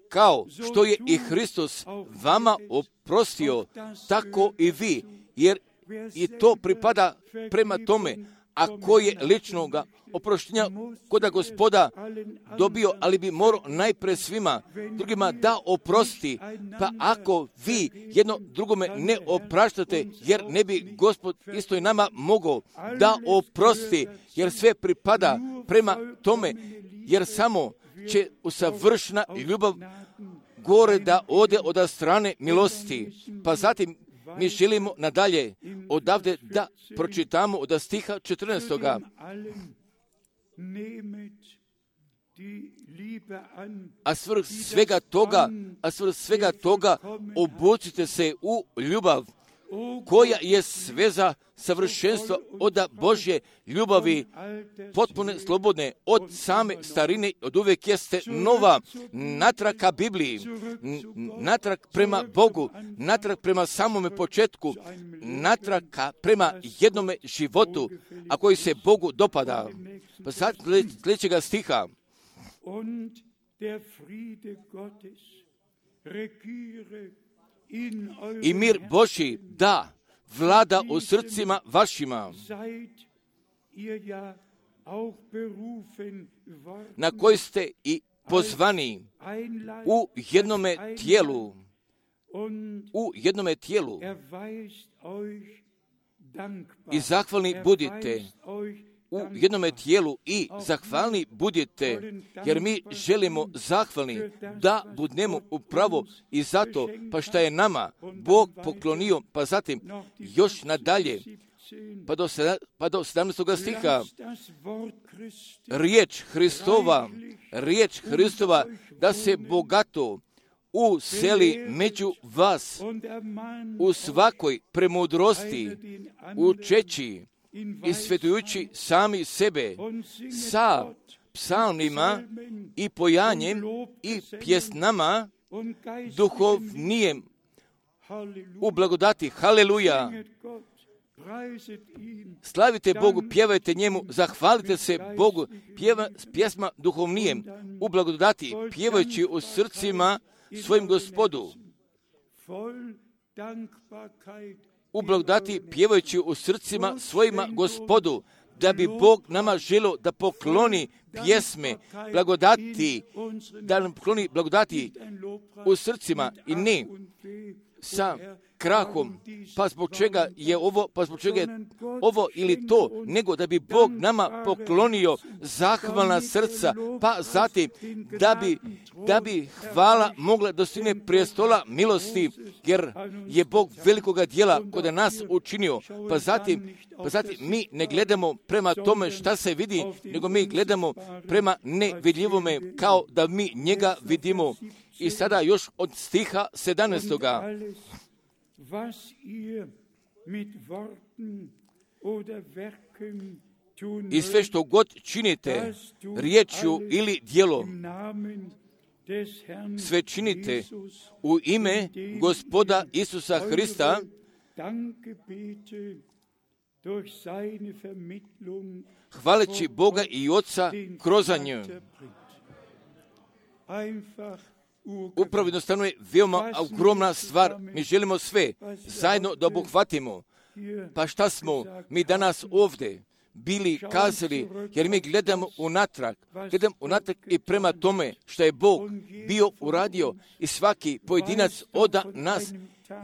kao što je i Hristos vama oprostio, tako i vi, jer i to pripada prema tome. Ako je ličnoga oproštenja koda Gospoda dobio, ali bi morao najpre svima drugima da oprosti. Pa ako vi jedno drugome ne opraštate, jer ne bi Gospod isto i nama mogao da oprosti, jer sve pripada prema tome, jer samo će usavršena ljubav gore da ode od strane milosti. Pa zatim mi želimo nadalje odavde da pročitamo od stiha četrnaestoga. A svrh svega toga, a svrh svega toga obucite se u ljubav, koja je sveza savršenstva od Božje ljubavi, potpune, slobodne, od same starine, od uvijek jeste nova, natrag ka Bibliji, natrag prema Bogu, natrag prema samome početku, natrag prema jednome životu, a koji se Bogu dopada. Pa sad sljedećega stiha. I mir Božji da vlada u srcima vašima, na koji ste i pozvani u jednome tijelu, u jednome tijelu. I zahvalni budite u jednome tijelu i zahvalni budite, jer mi želimo zahvalni da budemo upravo i zato, pa šta je nama Bog poklonio, pa zatim još nadalje, pa do, pa do sedamnaestoga stiha, riječ Hristova, riječ Hristova da se bogato useli među vas u svakoj premudrosti, učeći i svetujući sami sebe sa psalmima i pojanjem i pjesnama duhovnijem u blagodati. Haleluja! Slavite Bogu, pjevajte njemu, zahvalite se Bogu, pjeva, pjesma duhovnijem u blagodati, pjevajući u srcima svojim Gospodu. U blagodati pjevajući u srcima svojima Gospodu, da bi Bog nama želio da pokloni pjesme blagodati, da nam pokloni blagodati u srcima i ne sa krahom, pa zbog čega je ovo, pa zbog čega je ovo ili to, nego da bi Bog nama poklonio zahvalna srca, pa zatim da bi, da bi hvala mogla dostigne prijestola milosti, jer je Bog velikoga djela kod nas učinio, pa zatim, pa zatim mi ne gledamo prema tome šta se vidi, nego mi gledamo prema nevidljivome kao da mi njega vidimo. I sada još od stiha sedamnaestoga. I sve što god činite, riječju ili djelom, sve činite u ime Gospoda Isusa Hrista, hvaleći Boga i Oca kroz nju. Upravo jednostavno je veoma ogromna stvar. Mi želimo sve zajedno da obuhvatimo. Pa šta smo mi danas ovdje bili kazali, jer mi gledamo unatrag, gledamo unatrag i prema tome što je Bog bio uradio i svaki pojedinac od nas,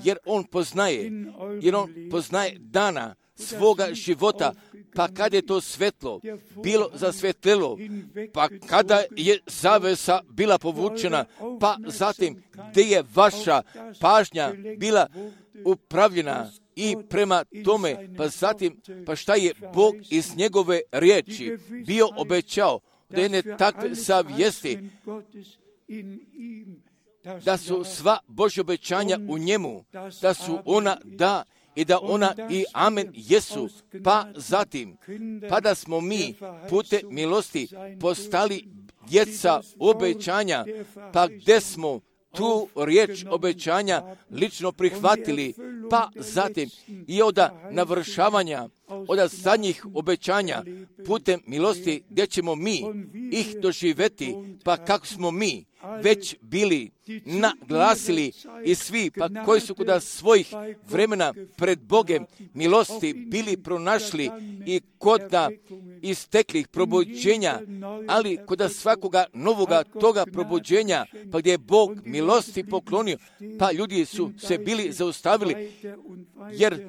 jer On poznaje, jer On poznaje dana svoga života, pa kada je to svetlo bilo zasvetlilo, pa kada je zavesa bila povučena, pa zatim gdje je vaša pažnja bila upravljena i prema tome, pa zatim, pa šta je Bog iz njegove riječi bio obećao, da jedne takve savjesti, da su sva Božja obećanja u njemu, da su ona da i da ona i amen jesu, pa zatim, pa da smo mi pute milosti postali djeca obećanja, pa gdje smo tu riječ obećanja lično prihvatili, pa zatim i od navršavanja, od zadnjih obećanja putem milosti gdje ćemo mi ih doživjeti, pa kako smo mi već bili naglasili i svi, pa koji su kod svojih vremena pred Bogem milosti bili pronašli i kod isteklih probuđenja, ali kod svakoga novoga toga probuđenja, pa gdje je Bog milosti poklonio, pa ljudi su se bili zaustavili, jer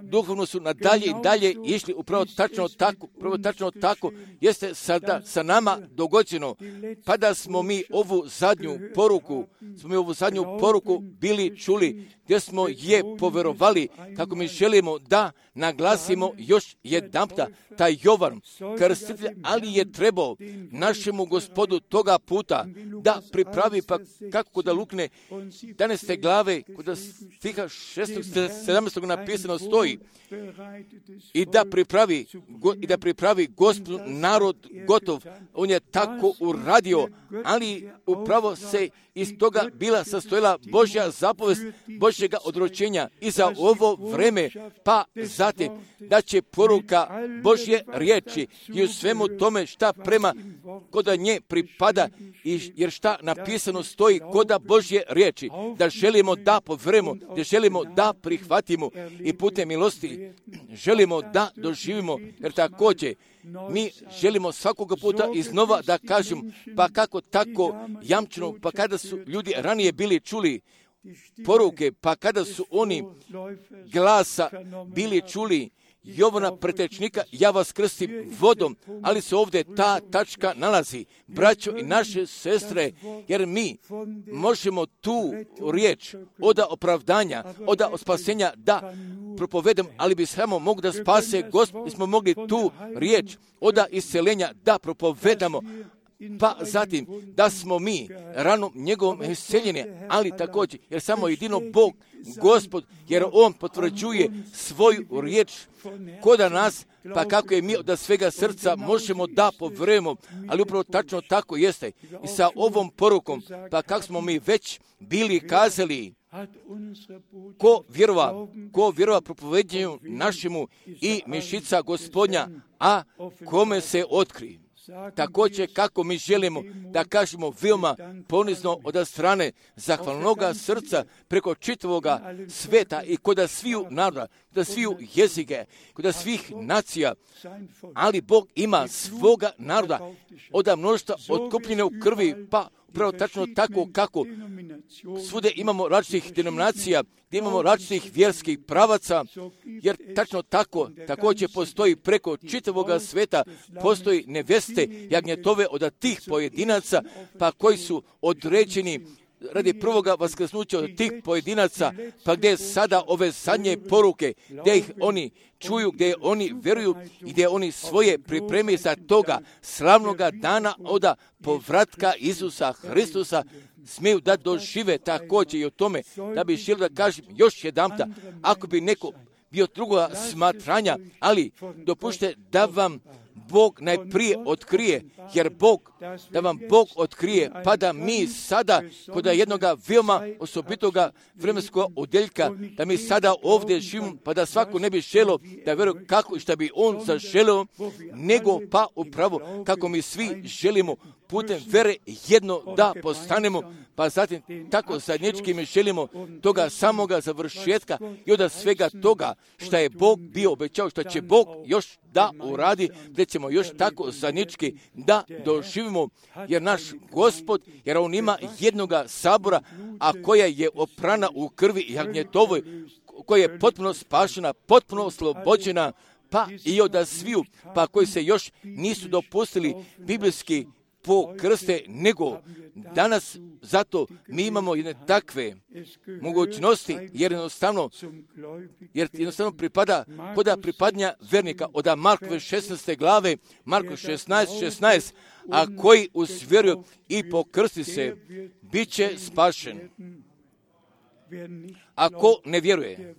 duhovno su nadalje i dalje išli upravo tačno tako, upravo tačno tako jeste sada sa nama dogođeno, pa da smo mi ovu zadnju poruku, smo mi ovu zadnju poruku bili čuli, gdje smo je poverovali, kako mi želimo da naglasimo još jedanputa taj Jovan krstitelj, ali je trebao našemu Gospodu toga puta da pripravi, pa kako da lukne jedanaeste glave, kod stiha šestog sedamnaestog napisano stoji, i da pripravi, i da pripravi Gospod narod gotov. On je tako uradio, ali upravo se iz toga bila sastojila Božja zapovest Božjega odročenja i za ovo vreme, pa zatim da će poruka Božje riječi i u svemu tome šta prema koda nje pripada, jer šta napisano stoji koda Božje riječi, da želimo da poverujemo, da želimo da prihvatimo i putem milosti želimo da doživimo, jer također mi želimo svakoga puta iznova da kažemo, pa kako tako jamčeno, pa kada su ljudi ranije bili čuli poruke, pa kada su oni glasa bili čuli Jovana pretečnika, ja vas krstim vodom, ali se ovdje ta tačka nalazi, braćo i naše sestre, jer mi možemo tu riječ od opravdanja, od spasenja da propovedem, ali bi samo mogli da spase Gospod, mi smo mogli tu riječ od isceljenja da propovedamo, pa zatim da smo mi ranom njegovom isceljeni, ali također, jer samo jedino Bog, Gospod, jer On potvrđuje svoju riječ koda nas, pa kako je mi od svega srca možemo da poverujemo, ali upravo tačno tako jeste. I sa ovom porukom, pa kako smo mi već bili kazali, ko vjerova, ko vjerova propoveđenju našemu i mišica Gospodnja, a kome se otkri. Također kako mi želimo da kažemo veoma ponizno od strane zahvalnoga srca preko čitavoga sveta i kod sviju naroda, kod sviju jezike, kod svih nacija, ali Bog ima svoga naroda od mnoštva otkupljene u krvi, pa upravo tačno tako kako svude imamo različitih denominacija, gdje imamo različitih vjerskih pravaca, jer tačno tako također postoji preko čitavoga sveta, postoji neveste jagnjetove od tih pojedinaca, pa koji su određeni radi prvoga vaskrsnuća od tih pojedinaca, pa gdje sada ove zadnje poruke, gdje ih oni čuju, gdje oni vjeruju i gdje oni svoje pripremi za toga slavnoga dana od povratka Isusa Hristusa, smiju da dožive također i o tome, da bi želio da kažem još jedanputa, ako bi neko bio drugoga smatranja, ali dopušte da vam Bog najprije otkrije, jer Bog, da vam Bog otkrije, pa da mi sada, kod jednoga veoma osobitoga vremenskog odjeljka, da mi sada ovdje živimo, pa da svako ne bi želio da vjeruje kako i šta bi on zaželio, nego pa upravo kako mi svi želimo putem vere jedno da postanemo, pa zatim tako zajednički mi želimo toga samoga završetka i od svega toga što je Bog bio obećao, što će Bog još da uradi, da ćemo još tako zajednički da doživimo, jer naš Gospod, jer On ima jednoga sabora, a koja je oprana u krvi jagnjetovoj, koja je potpuno spašena, potpuno oslobođena, pa i od sviju, pa koji se još nisu dopustili biblijski pokrste, nego danas zato mi imamo jedne takve mogućnosti, jer jednostavno, jer jednostavno pripada, koda pripadnja vernika od Markove šesnaeste glave, Marko šesnaest šesnaest, a koji usvjeruju i pokrsti se, bit će spašen. Ako ne vjeruje,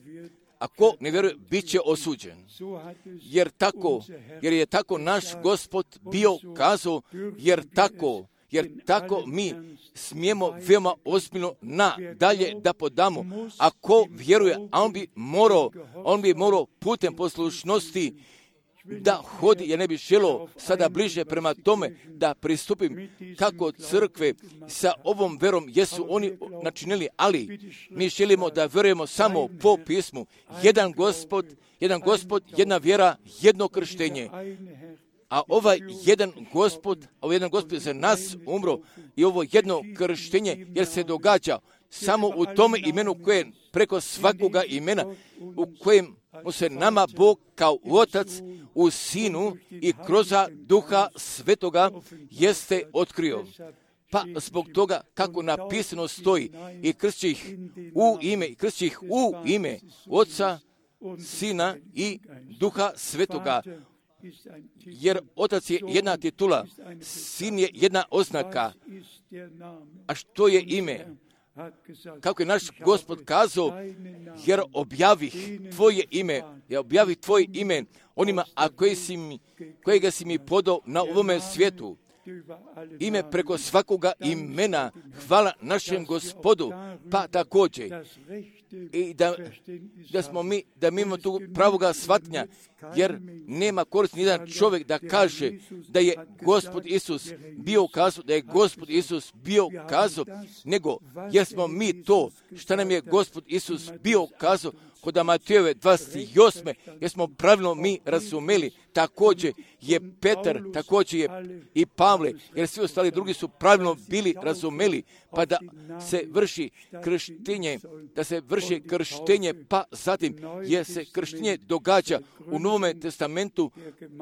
Ako ne vjeruje, bit će osuđen. Jer tako, jer je tako naš Gospod bio kazao, jer tako, jer tako mi smijemo veoma ozbiljno na dalje da podamo. Ako vjeruje, a on bi morao, on bi morao putem poslušnosti da hodi, jer ne bi želo sada bliže prema tome da pristupim kako crkve sa ovom verom jesu oni načinili, ali mi želimo da vjerujemo samo po pismu. Jedan Gospod, jedan Gospod, jedna vjera, jedno krštenje. A ovaj jedan Gospod, ovaj jedan Gospod za nas umro i ovo jedno krštenje, jer se događa samo u tome imenu koje je preko svakoga imena, u kojem mu se nama Bog kao Otac u Sinu i kroz Duha Svetoga jeste otkrio. Pa zbog toga kako napisano stoji i kršći ih u ime, i kršći ih u ime Oca, Sina i Duha Svetoga. Jer Otac je jedna titula, Sin je jedna oznaka. A što je ime? Kako je naš Gospod kazao, jer objavih tvoje ime, ja objavih tvoje ime onima, a koje si mi, kojega si mi podao na ovome svijetu. Ime preko svakoga imena, hvala našem Gospodu, pa također i da, da smo mi, da mi imamo tu pravoga shvatnja, jer nema korist nijedan čovjek da kaže da je Gospod Isus bio kazao, da je Gospod Isus bio kazao, nego jer smo mi to što nam je Gospod Isus bio kazao kod Matejove dvadeset osme, jer smo pravilno mi razumeli, također je Petar, također je i Pavle, jer svi ostali drugi su pravilno bili razumeli, pa da se vrši krštenje, da se vrši krštenje, pa zatim jer se krštenje događa u Novome testamentu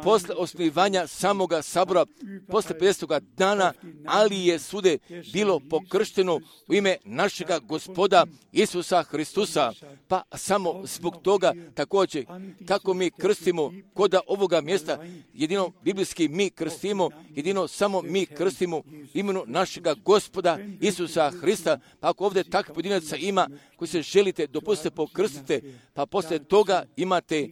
posle osnivanja samoga sabora, posle pedesetoga dana, ali je svude bilo pokršteno u ime našega Gospoda Isusa Hristusa, pa samo zbog toga također kako mi krstimo kod ovoga mjesta, jedino biblijski mi krstimo, jedino samo mi krstimo imenu našega Gospoda Isusa Hrista, pa ako ovdje takvih pojedinaca ima koji se želite, dopustite pokrstite, pa poslije toga imate,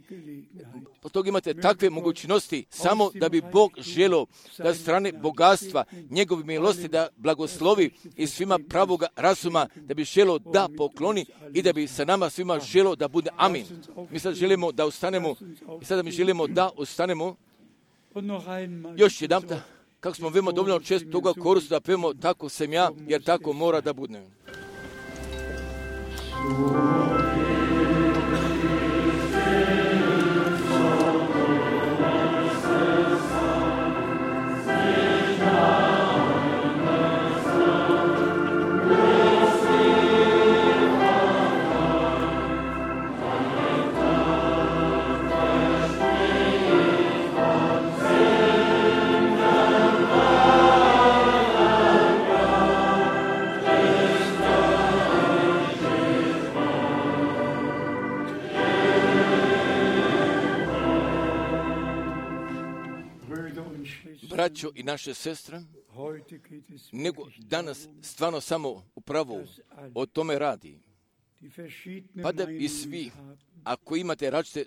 poslije toga imate takve mogućnosti, samo da bi Bog želio da strane bogatstva, njegove milosti da blagoslovi i svima pravoga razuma, da bi želio da pokloni i da bi sa nama svima želio da bude amin. Mi sad želimo da ustanemo i sada mi želimo da ustanemo još jedan, kako smo veoma dovoljno često toga koristili da pevamo tako sam ja, jer tako mora da bude. Braćo i naše sestre, nego danas stvarno samo upravo o tome radi. Pa da bi svi, ako imate različite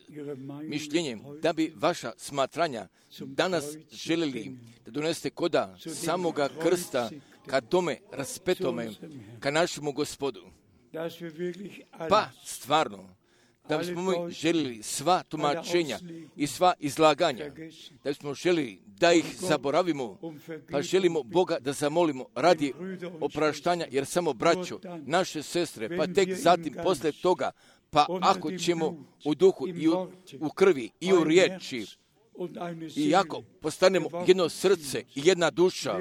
mišljenje, da bi vaša smatranja danas željeli da donesete koda samoga krsta ka tome raspetome, ka našemu Gospodu. Pa stvarno, da bismo mi želili sva tumačenja i sva izlaganja, da bismo želili da ih zaboravimo, pa želimo Boga da zamolimo radi opraštanja, jer samo braćo, naše sestre, pa tek zatim posle toga, pa ako ćemo u duhu i u, u krvi i u riječi, i ako postanemo jedno srce i jedna duša,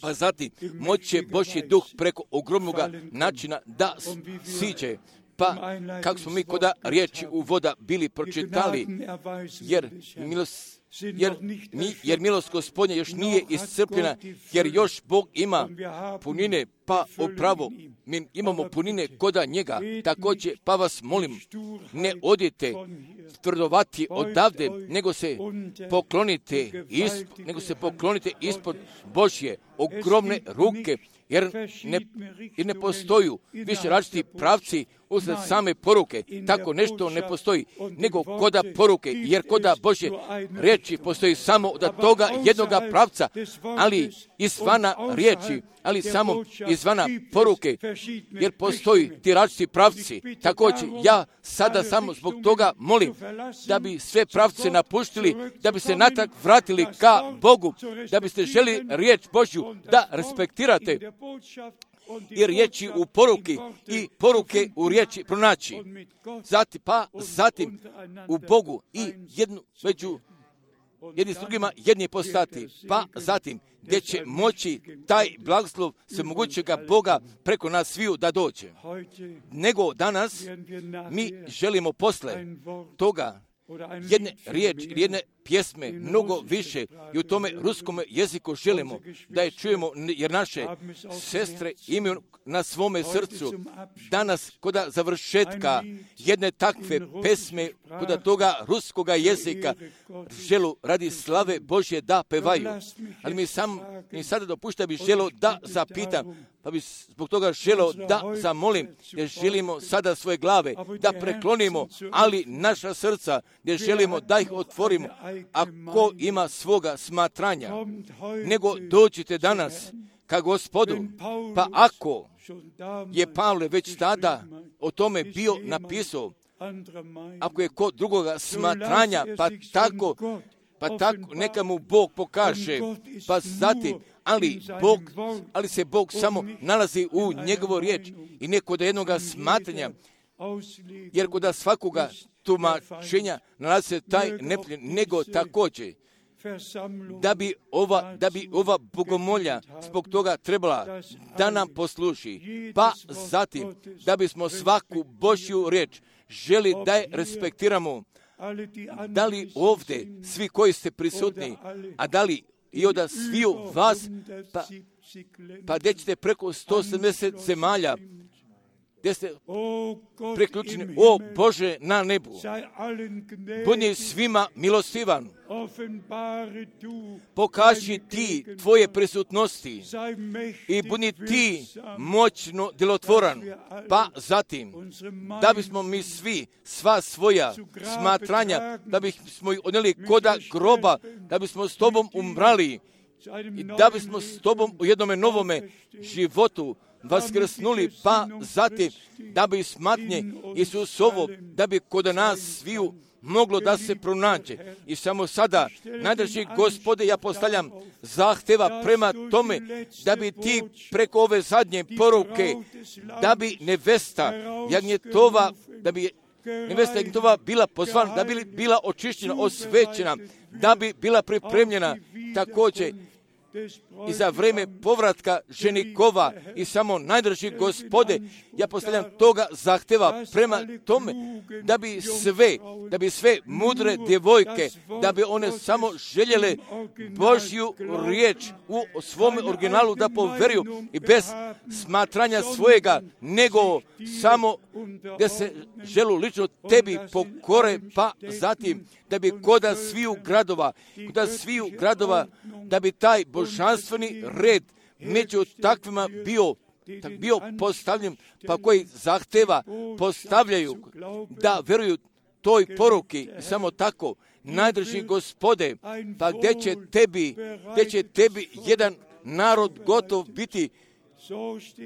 pa zatim moće Božji duh preko ogromnog načina da siđe. Pa kako smo mi koda riječi u voda bili pročitali, jer milost, jer, mi, jer milost Gospodnja još nije iscrpljena, jer još Bog ima punine, pa upravo mi imamo punine koda njega. Također, pa vas molim, ne odite tvrdovati odavde, nego se poklonite, isp, nego se poklonite ispod Božje ogromne ruke, jer ne, jer ne postoju više različiti pravci usred same poruke. Tako nešto ne postoji, nego koda poruke, jer koda Božje riječi postoji samo od toga jednoga pravca, ali izvana riječi, ali samo izvana poruke, jer postoji ti različiti pravci. Također, ja sada samo zbog toga molim da bi sve pravce napuštili, da bi se natrag vratili ka Bogu, da biste želi riječ Božju da respektirate i riječi u poruki i poruke u riječi pronaći. Zatim, pa zatim u Bogu i jednu među jedni s drugima jedni postati, pa zatim gdje će moći taj blagoslov svemogućega Boga preko nas sviju da dođe. Nego danas mi želimo posle toga jedne riječi, jedne pjesme, mnogo više i u tome ruskom jeziku želimo da je čujemo, jer naše sestre imaju na svome srcu danas koda završetka jedne takve pesme, koda toga ruskoga jezika želu radi slave Božje da pevaju. Ali mi sam mi sada dopušta bi želo da zapitam, pa bi zbog toga želo da zamolim, jer želimo sada svoje glave da preklonimo, ali naša srca, jer želimo da ih otvorimo. Ako ima svoga smatranja, nego dođite danas ka Gospodu, pa ako je Pavle već tada o tome bio napisao, ako je kod drugoga smatranja, pa tako, pa tako neka mu Bog pokaže, pa zatim, ali, Bog, ali se Bog samo nalazi u njegovu riječ i ne kod jednoga smatranja, jer kod svakoga tumačenja nalazi se taj nepljen, nego također da bi ova, da bi ova bogomolja zbog toga trebala da nam posluži, pa zatim da bismo svaku Božju riječ želi da je respektiramo, da li ovdje svi koji ste prisutni, a da li i od sviju vas, pa, pa gdje ćete preko sto sedamdeset zemalja, gdje ste priključeni, o Bože na nebu, budi svima milostivan, pokaži ti tvoje prisutnosti i budi ti moćno djelotvoran, pa zatim da bismo mi svi sva svoja smatranja, da bismo ih odnijeli koda groba, da bismo s tobom umrali i da bismo s tobom u jednome novome životu vaskrsnuli, pa zatim da bi smatnje Isusovo, da bi kod nas sviju moglo da se pronađe. I samo sada, najdraži Gospode, ja postavljam zahteva prema tome da bi ti preko ove zadnje poruke, da bi nevesta jagnjetova, da bi nevesta jagnjetova bila pozvana, da bi bila očišćena, osvećena, da bi bila pripremljena također i za vrijeme povratka ženikova. I samo najdraži Gospode, ja postavljam toga zahteva prema tome da bi sve, da bi sve mudre djevojke, da bi one samo željele Božju riječ u svom originalu da poveruju i bez smatranja svojega, nego samo da se želu lično tebi pokore, pa zatim da bi koda sviju gradova, koda sviju gradova, da bi taj božanstveni red među takvima bio, bio postavljen, pa koji zahteva postavljaju da veruju toj poruki. Samo tako, najdraži Gospode, pa gdje će tebi, gdje će tebi jedan narod gotov biti,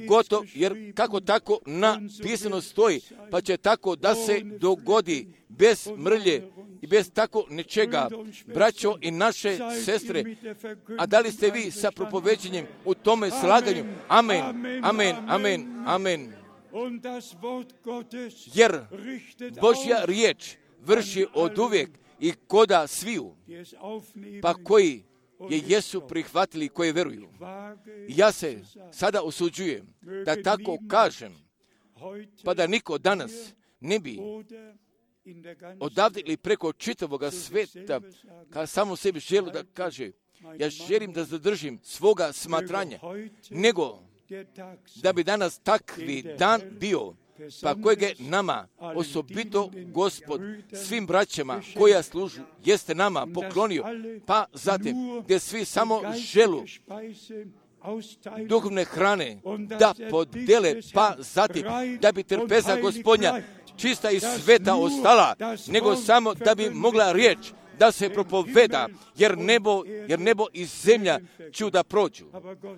gotov, jer kako tako napisano stoji, pa će tako da se dogodi bez mrlje i bez tako nečega. Braćo i naše sestre, a da li ste vi sa propoveđenjem u tome slaganju? Amen, amen, amen, amen. Jer Božja riječ vrši od uvijek i koda sviju, pa koji je jesu prihvatili, koji veruju. Ja se sada osuđujem da tako kažem, pa da niko danas ne bi odavde ili preko čitavoga sveta kada samo sebi želi da kaže, ja želim da zadržim svoga smatranja, nego da bi danas takvi dan bio, pa kojeg je nama osobito Gospod svim braćama koja služu jeste nama poklonio, pa zatim gdje svi samo želu duhovne hrane da podele, pa zatim da bi trpeza Gospodnja čista i sveta ostala, nego samo da bi mogla riječ da se propoveda, jer nebo, jer nebo i zemlja ću da prođu.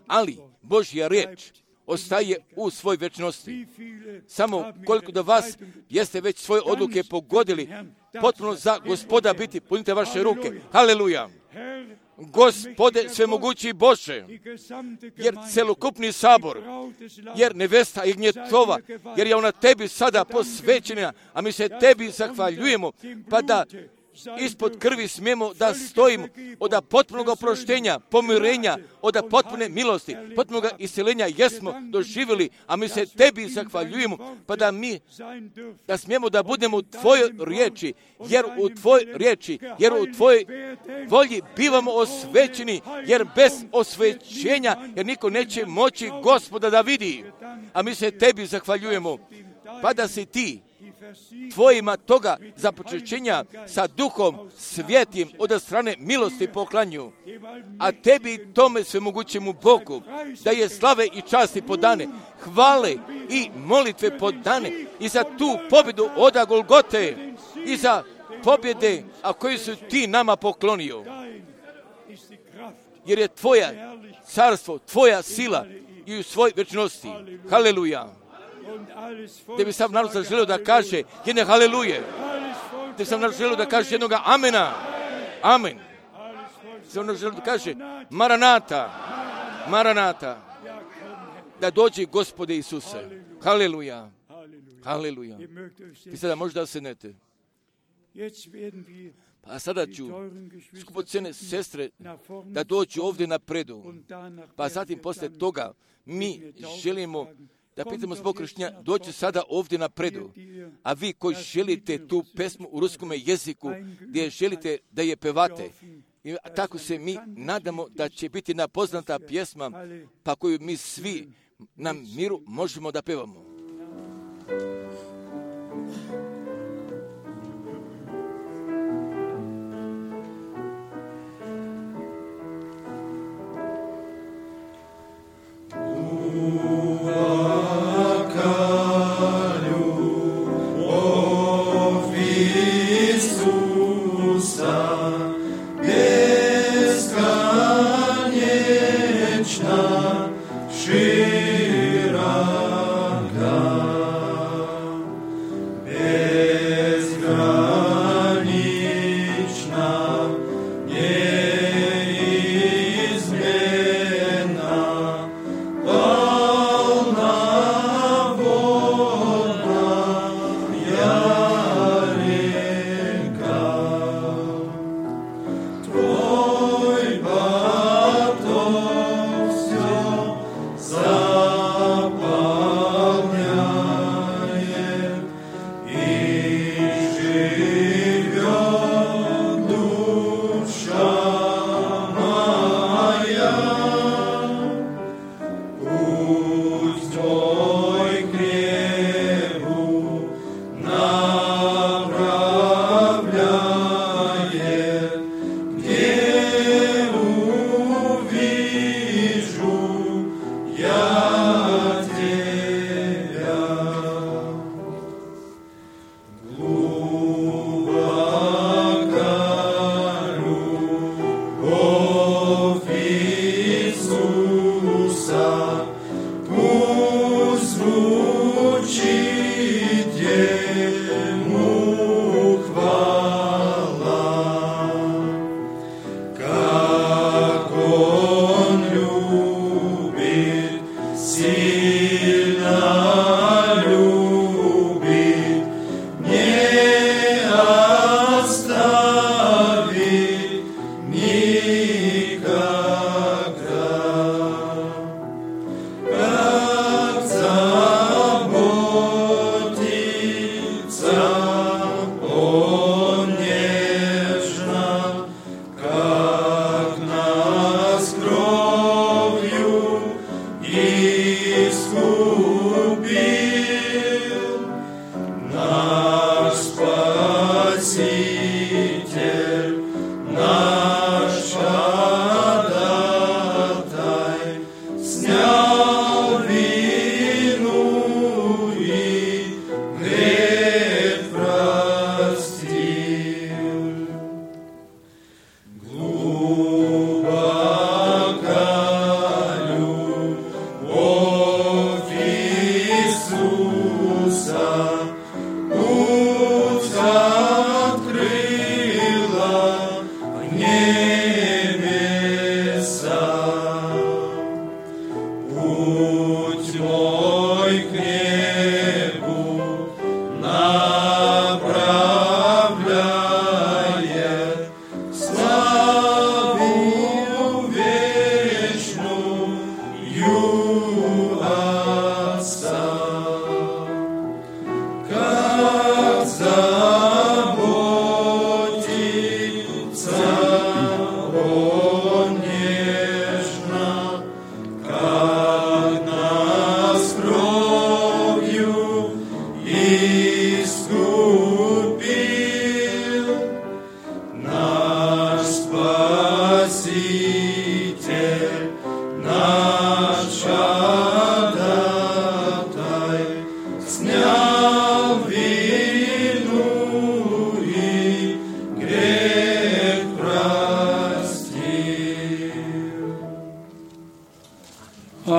Ali Božja riječ ostaje u svoj večnosti. Samo koliko da vas jeste već svoje odluke pogodili, potpuno za Gospoda biti, punite vaše ruke. Haleluja! Gospode svemogući Bože, jer celokupni sabor, jer nevesta i gnjetova, jer je ona tebi sada posvećena, a mi se tebi zahvaljujemo, pa da ispod krvi smijemo da stojimo od potpunog oproštenja, pomirenja, od potpune milosti, potpunog isceljenja jesmo doživjeli, a mi se tebi zahvaljujemo, pa da mi da smijemo da budemo u tvojoj riječi, jer u tvojoj riječi, jer u tvojoj volji bivamo osvećeni, jer bez osvećenja, jer niko neće moći Gospoda da vidi, a mi se tebi zahvaljujemo, pa da si ti tvojima toga započećenja sa duhom svjetim od strane milosti poklanju, a tebi tome svemogućemu Bogu da je slave i časti podane, hvale i molitve podane i za tu pobjedu od Golgote i za pobjede, a koje su ti nama poklonio. Jer je tvoja carstvo, tvoja sila i u svoj večnosti. Haleluja! Da bi sam narod zaželio da kaže jedne haleluje. Da bi sam narod želio da kaže jednoga amena. Amen. Da sam narod želio da kaže Maranata. Maranata. Da dođe Gospode Isuse. Haleluja. Haleluja. Vi sada možda sednete. Pa sada ću skupocene sestre da dođu ovdje napredu. Pa zatim posle toga mi želimo da pitamo zbog kršćanja, doći sada ovdje napredu. A vi koji želite tu pesmu u ruskome jeziku, gdje želite da je pevate, i tako se mi nadamo da će biti jedna poznata pjesma, pa koju mi svi na miru možemo da pevamo. Shiraka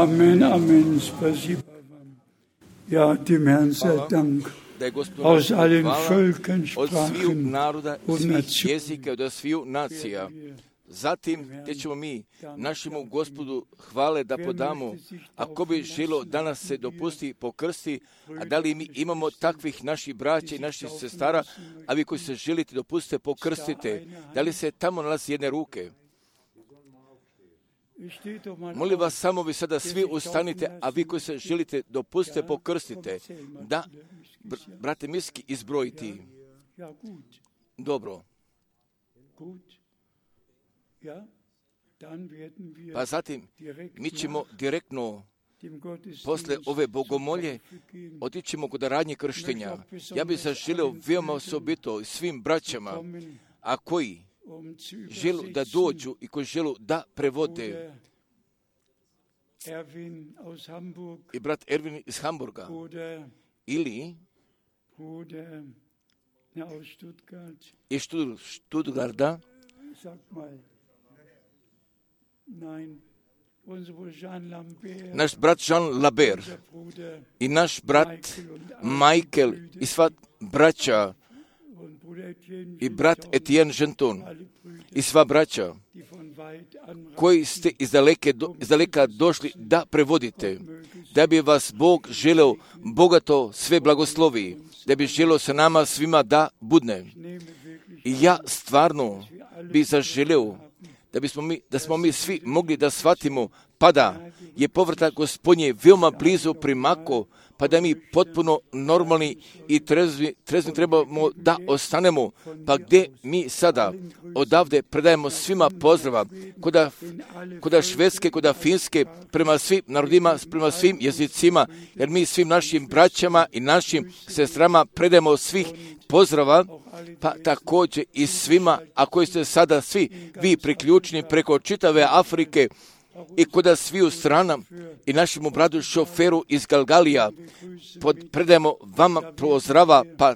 Amen, Amen. Spasiba vam. Ja, dem Herrn sei Dank. Aus allen Völkern, Sprachen und Nationen. Zatim, gdje ćemo mi našemu Gospodu hvale da podamo, ako bi želo danas se dopusti pokrsti, a da li mi imamo takvih naših braća i naših sestara, a vi koji se želite dopustite pokrstite, da li se tamo nalazi jedne ruke? Molim vas, samo vi sada svi ustanite, a vi koji se želite dopustite pokrstite, da, br- brate Miski, izbrojiti. Dobro. Pa zatim, mi ćemo direktno, posle ove bogomolje, otićemo kod radnje krštenja. Ja bih zaželio veoma osobito svim braćama, a koji želu da dođu i koji želu da prevode. I brat Ervin iz Hamburga. Ili iz Stuttgarta. Naš brat Jean Lambert i naš brat Michael i sva braća i brat Etienne Genton i sva braća koji ste iz daleke, do, iz daleka došli da prevodite, da bi vas Bog želeo bogato sve blagoslovi, da bi želeo sa nama svima da budne. I ja stvarno bi zaželeo da bismo mi, da smo mi svi mogli da shvatimo, pa da je povratak Gospodnje veoma blizu primako, pa da mi potpuno normalni i trezvi, trezvi trebamo da ostanemo, pa gdje mi sada odavde predajemo svima pozdrava, koda, koda Švedske, koda Finske, prema svim narodima, prema svim jezicima, jer mi svim našim braćama i našim sestrama predajemo svih pozdrava, pa također i svima, a koji ste sada svi vi priključeni preko čitave Afrike, i koda svi u strana i našemu bradu šoferu iz Galgalija pod, predajemo vama pozdrava, pa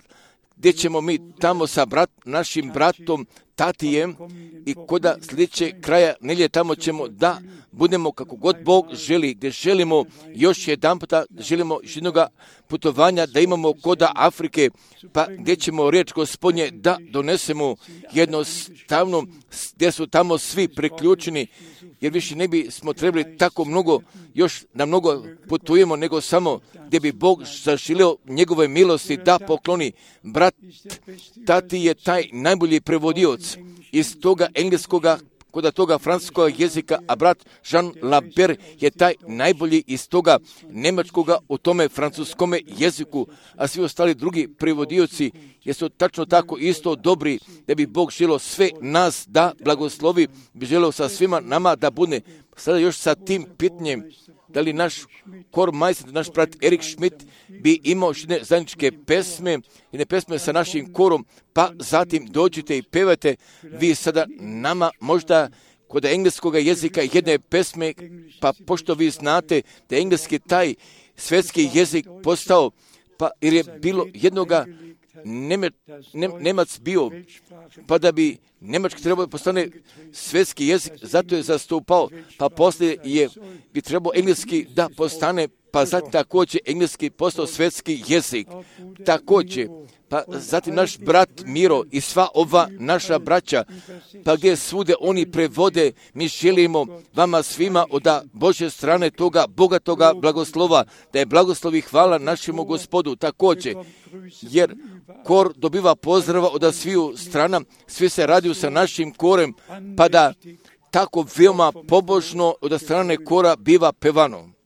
gdje ćemo mi tamo sa brat, našim bratom Tatijem i koda sljedeće kraja nelje tamo ćemo da budemo kako god Bog želi, gdje želimo još jedan puta, želimo još jednoga putovanja da imamo koda Afrike, pa gdje ćemo riječ Gospodnje da donesemo jednostavno, gdje su tamo svi priključeni, jer više ne bi smo trebali tako mnogo, još da mnogo putujemo, nego samo gdje bi Bog zaželio njegove milosti da pokloni. Brat Tati je taj najbolji prevodioc iz toga engleskoga kod toga francuskog jezika, a brat Jean Lambert je taj najbolji iz toga njemačkoga u tome francuskome jeziku, a svi ostali drugi prevodioci jesu tačno tako isto dobri, da bi Bog želio sve nas da blagoslovi, bi želio sa svima nama da bude. Sada još sa tim pitanjem, da li naš kor majstor, naš brat Erik Schmidt bi imao jedne zajedničke pesme, jedne pesme sa našim korom, pa zatim dođite i pevate vi sada nama možda kod engleskog jezika jedne pesme, pa pošto vi znate da je engleski taj svjetski jezik postao, pa jer je bilo jednoga Neme, ne, Nemac bio, pa da bi Njemački trebao postane svjetski jezik, zato je zastupao, pa poslije je bi trebao engleski da postane, pa zatim također engleski postao svjetski jezik. Također, pa zatim naš brat Miro i sva ova naša braća, pa gdje svude oni prevode, mi želimo vama svima od Božje strane toga bogatoga blagoslova, da je blagoslovi hvala našemu Gospodu također, jer kor dobiva pozdrava od sviju strana, svi se radiju sa našim korem, pa da tako veoma pobožno od strane kora biva pevano.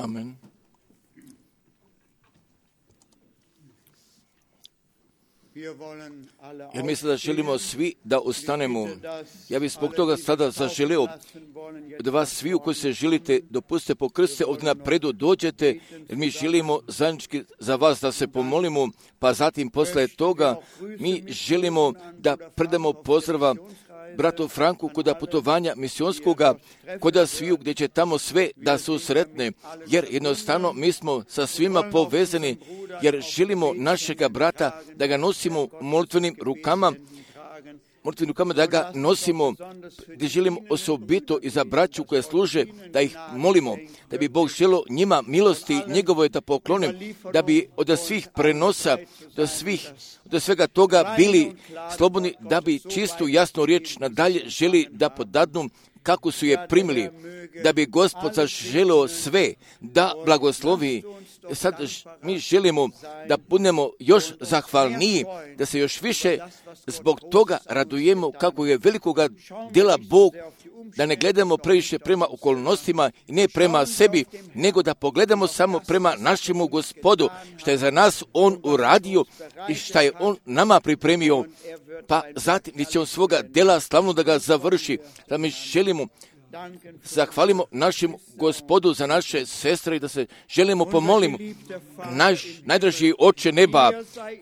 Amen. Jer mislim da želimo svi da ustanemo. Ja bih zbog toga sada zaželio od vas svi koji se želite dopustite pokrste ovdje napredu dođete, jer mi želimo zajednički za vas da se pomolimo, pa zatim posle toga mi želimo da predamo pozdrava bratu Franku kod putovanja misionskoga, kod sviju gdje će tamo sve da su sretne, jer jednostavno mi smo sa svima povezani, jer želimo našega brata da ga nosimo molitvenim rukama, molitvenim rukama da ga nosimo, gdje želimo osobito i za braću koje služe, da ih molimo, da bi Bog želio njima milosti njegovoj da poklonim, da bi od svih prenosa, do svih, do svega toga bili slobodni, da bi čistu jasnu riječ nadalje želi da podadnu kako su je primili, da bi Gospod zaželio sve da blagoslovi. Sad mi želimo da budemo još zahvalniji, da se još više zbog toga radujemo kako je velikoga djela Bog, da ne gledamo previše prema okolnostima i ne prema sebi, nego da pogledamo samo prema našemu Gospodu, što je za nas On uradio i što je On nama pripremio, pa zatim gdje će On svoga djela slavno da ga završi, da mi želimo zahvalimo našem Gospodu za naše sestre i da se želimo pomolimo. Naš najdraži Oče neba,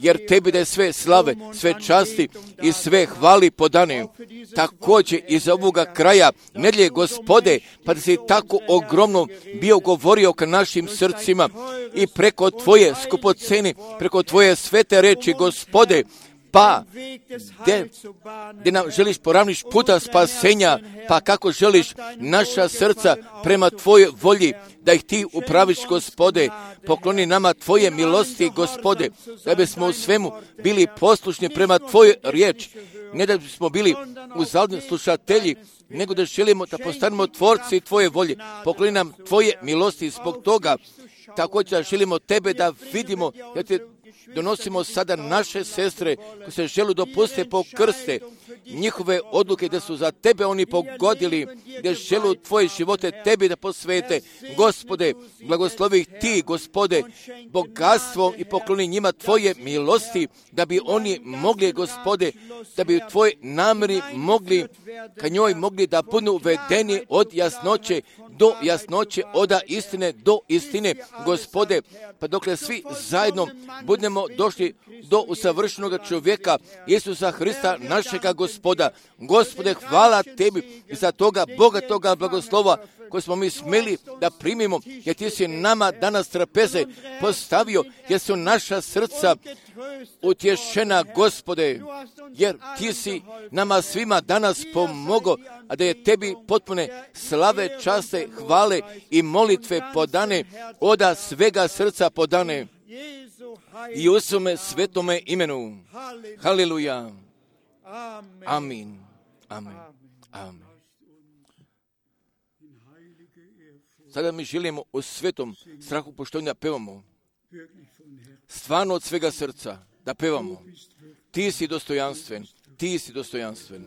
jer tebi da je sve slave, sve časti i sve hvali podane. Također iz ovoga kraja nedlje Gospode, pa da si tako ogromno bio govorio ka našim srcima i preko tvoje skupoceni, preko tvoje svete reči Gospode, pa gdje nam želiš poravniš puta spasenja, pa kako želiš naša srca prema tvojoj volji, da ih ti upraviš, Gospode, pokloni nama tvoje milosti, Gospode, da bismo u svemu bili poslušni prema tvojoj riječi, ne da bismo bili uzaludni slušatelji, nego da želimo da postanemo tvorci tvoje volje, pokloni nam tvoje milosti zbog toga. Također želimo tebe da vidimo, ja te donosimo sada naše sestre koje se žele dopustiti po krste, njihove odluke da su za tebe oni pogodili, da žele tvoje živote tebi da posvete. Gospode, blagoslovi ih ti, Gospode, bogatstvom i pokloni njima tvoje milosti, da bi oni mogli, Gospode, da bi u tvoj namjeri mogli, ka njoj mogli da budu uvedeni od jasnoće do jasnoće, od istine do istine, Gospode, pa dokle svi zajedno budemo došli do usavršenog čovjeka Isusa Hrista, našega Gospoda. Gospode, hvala tebi za toga bogatoga blagoslova koje smo mi smeli da primimo, jer ti si nama danas trapeze postavio, jer su naša srca utješena, Gospode, jer ti si nama svima danas pomogao, a da je tebi potpune slave, časte, hvale i molitve podane, oda svega srca podane. I u svome svetome imenu. Haleluja. Amin. Amin. Amin. Sada mi želimo u svetom strahu poštovanja pevamo. Stvarno od svega srca da pevamo. Ti si dostojanstven. Ti si dostojanstven.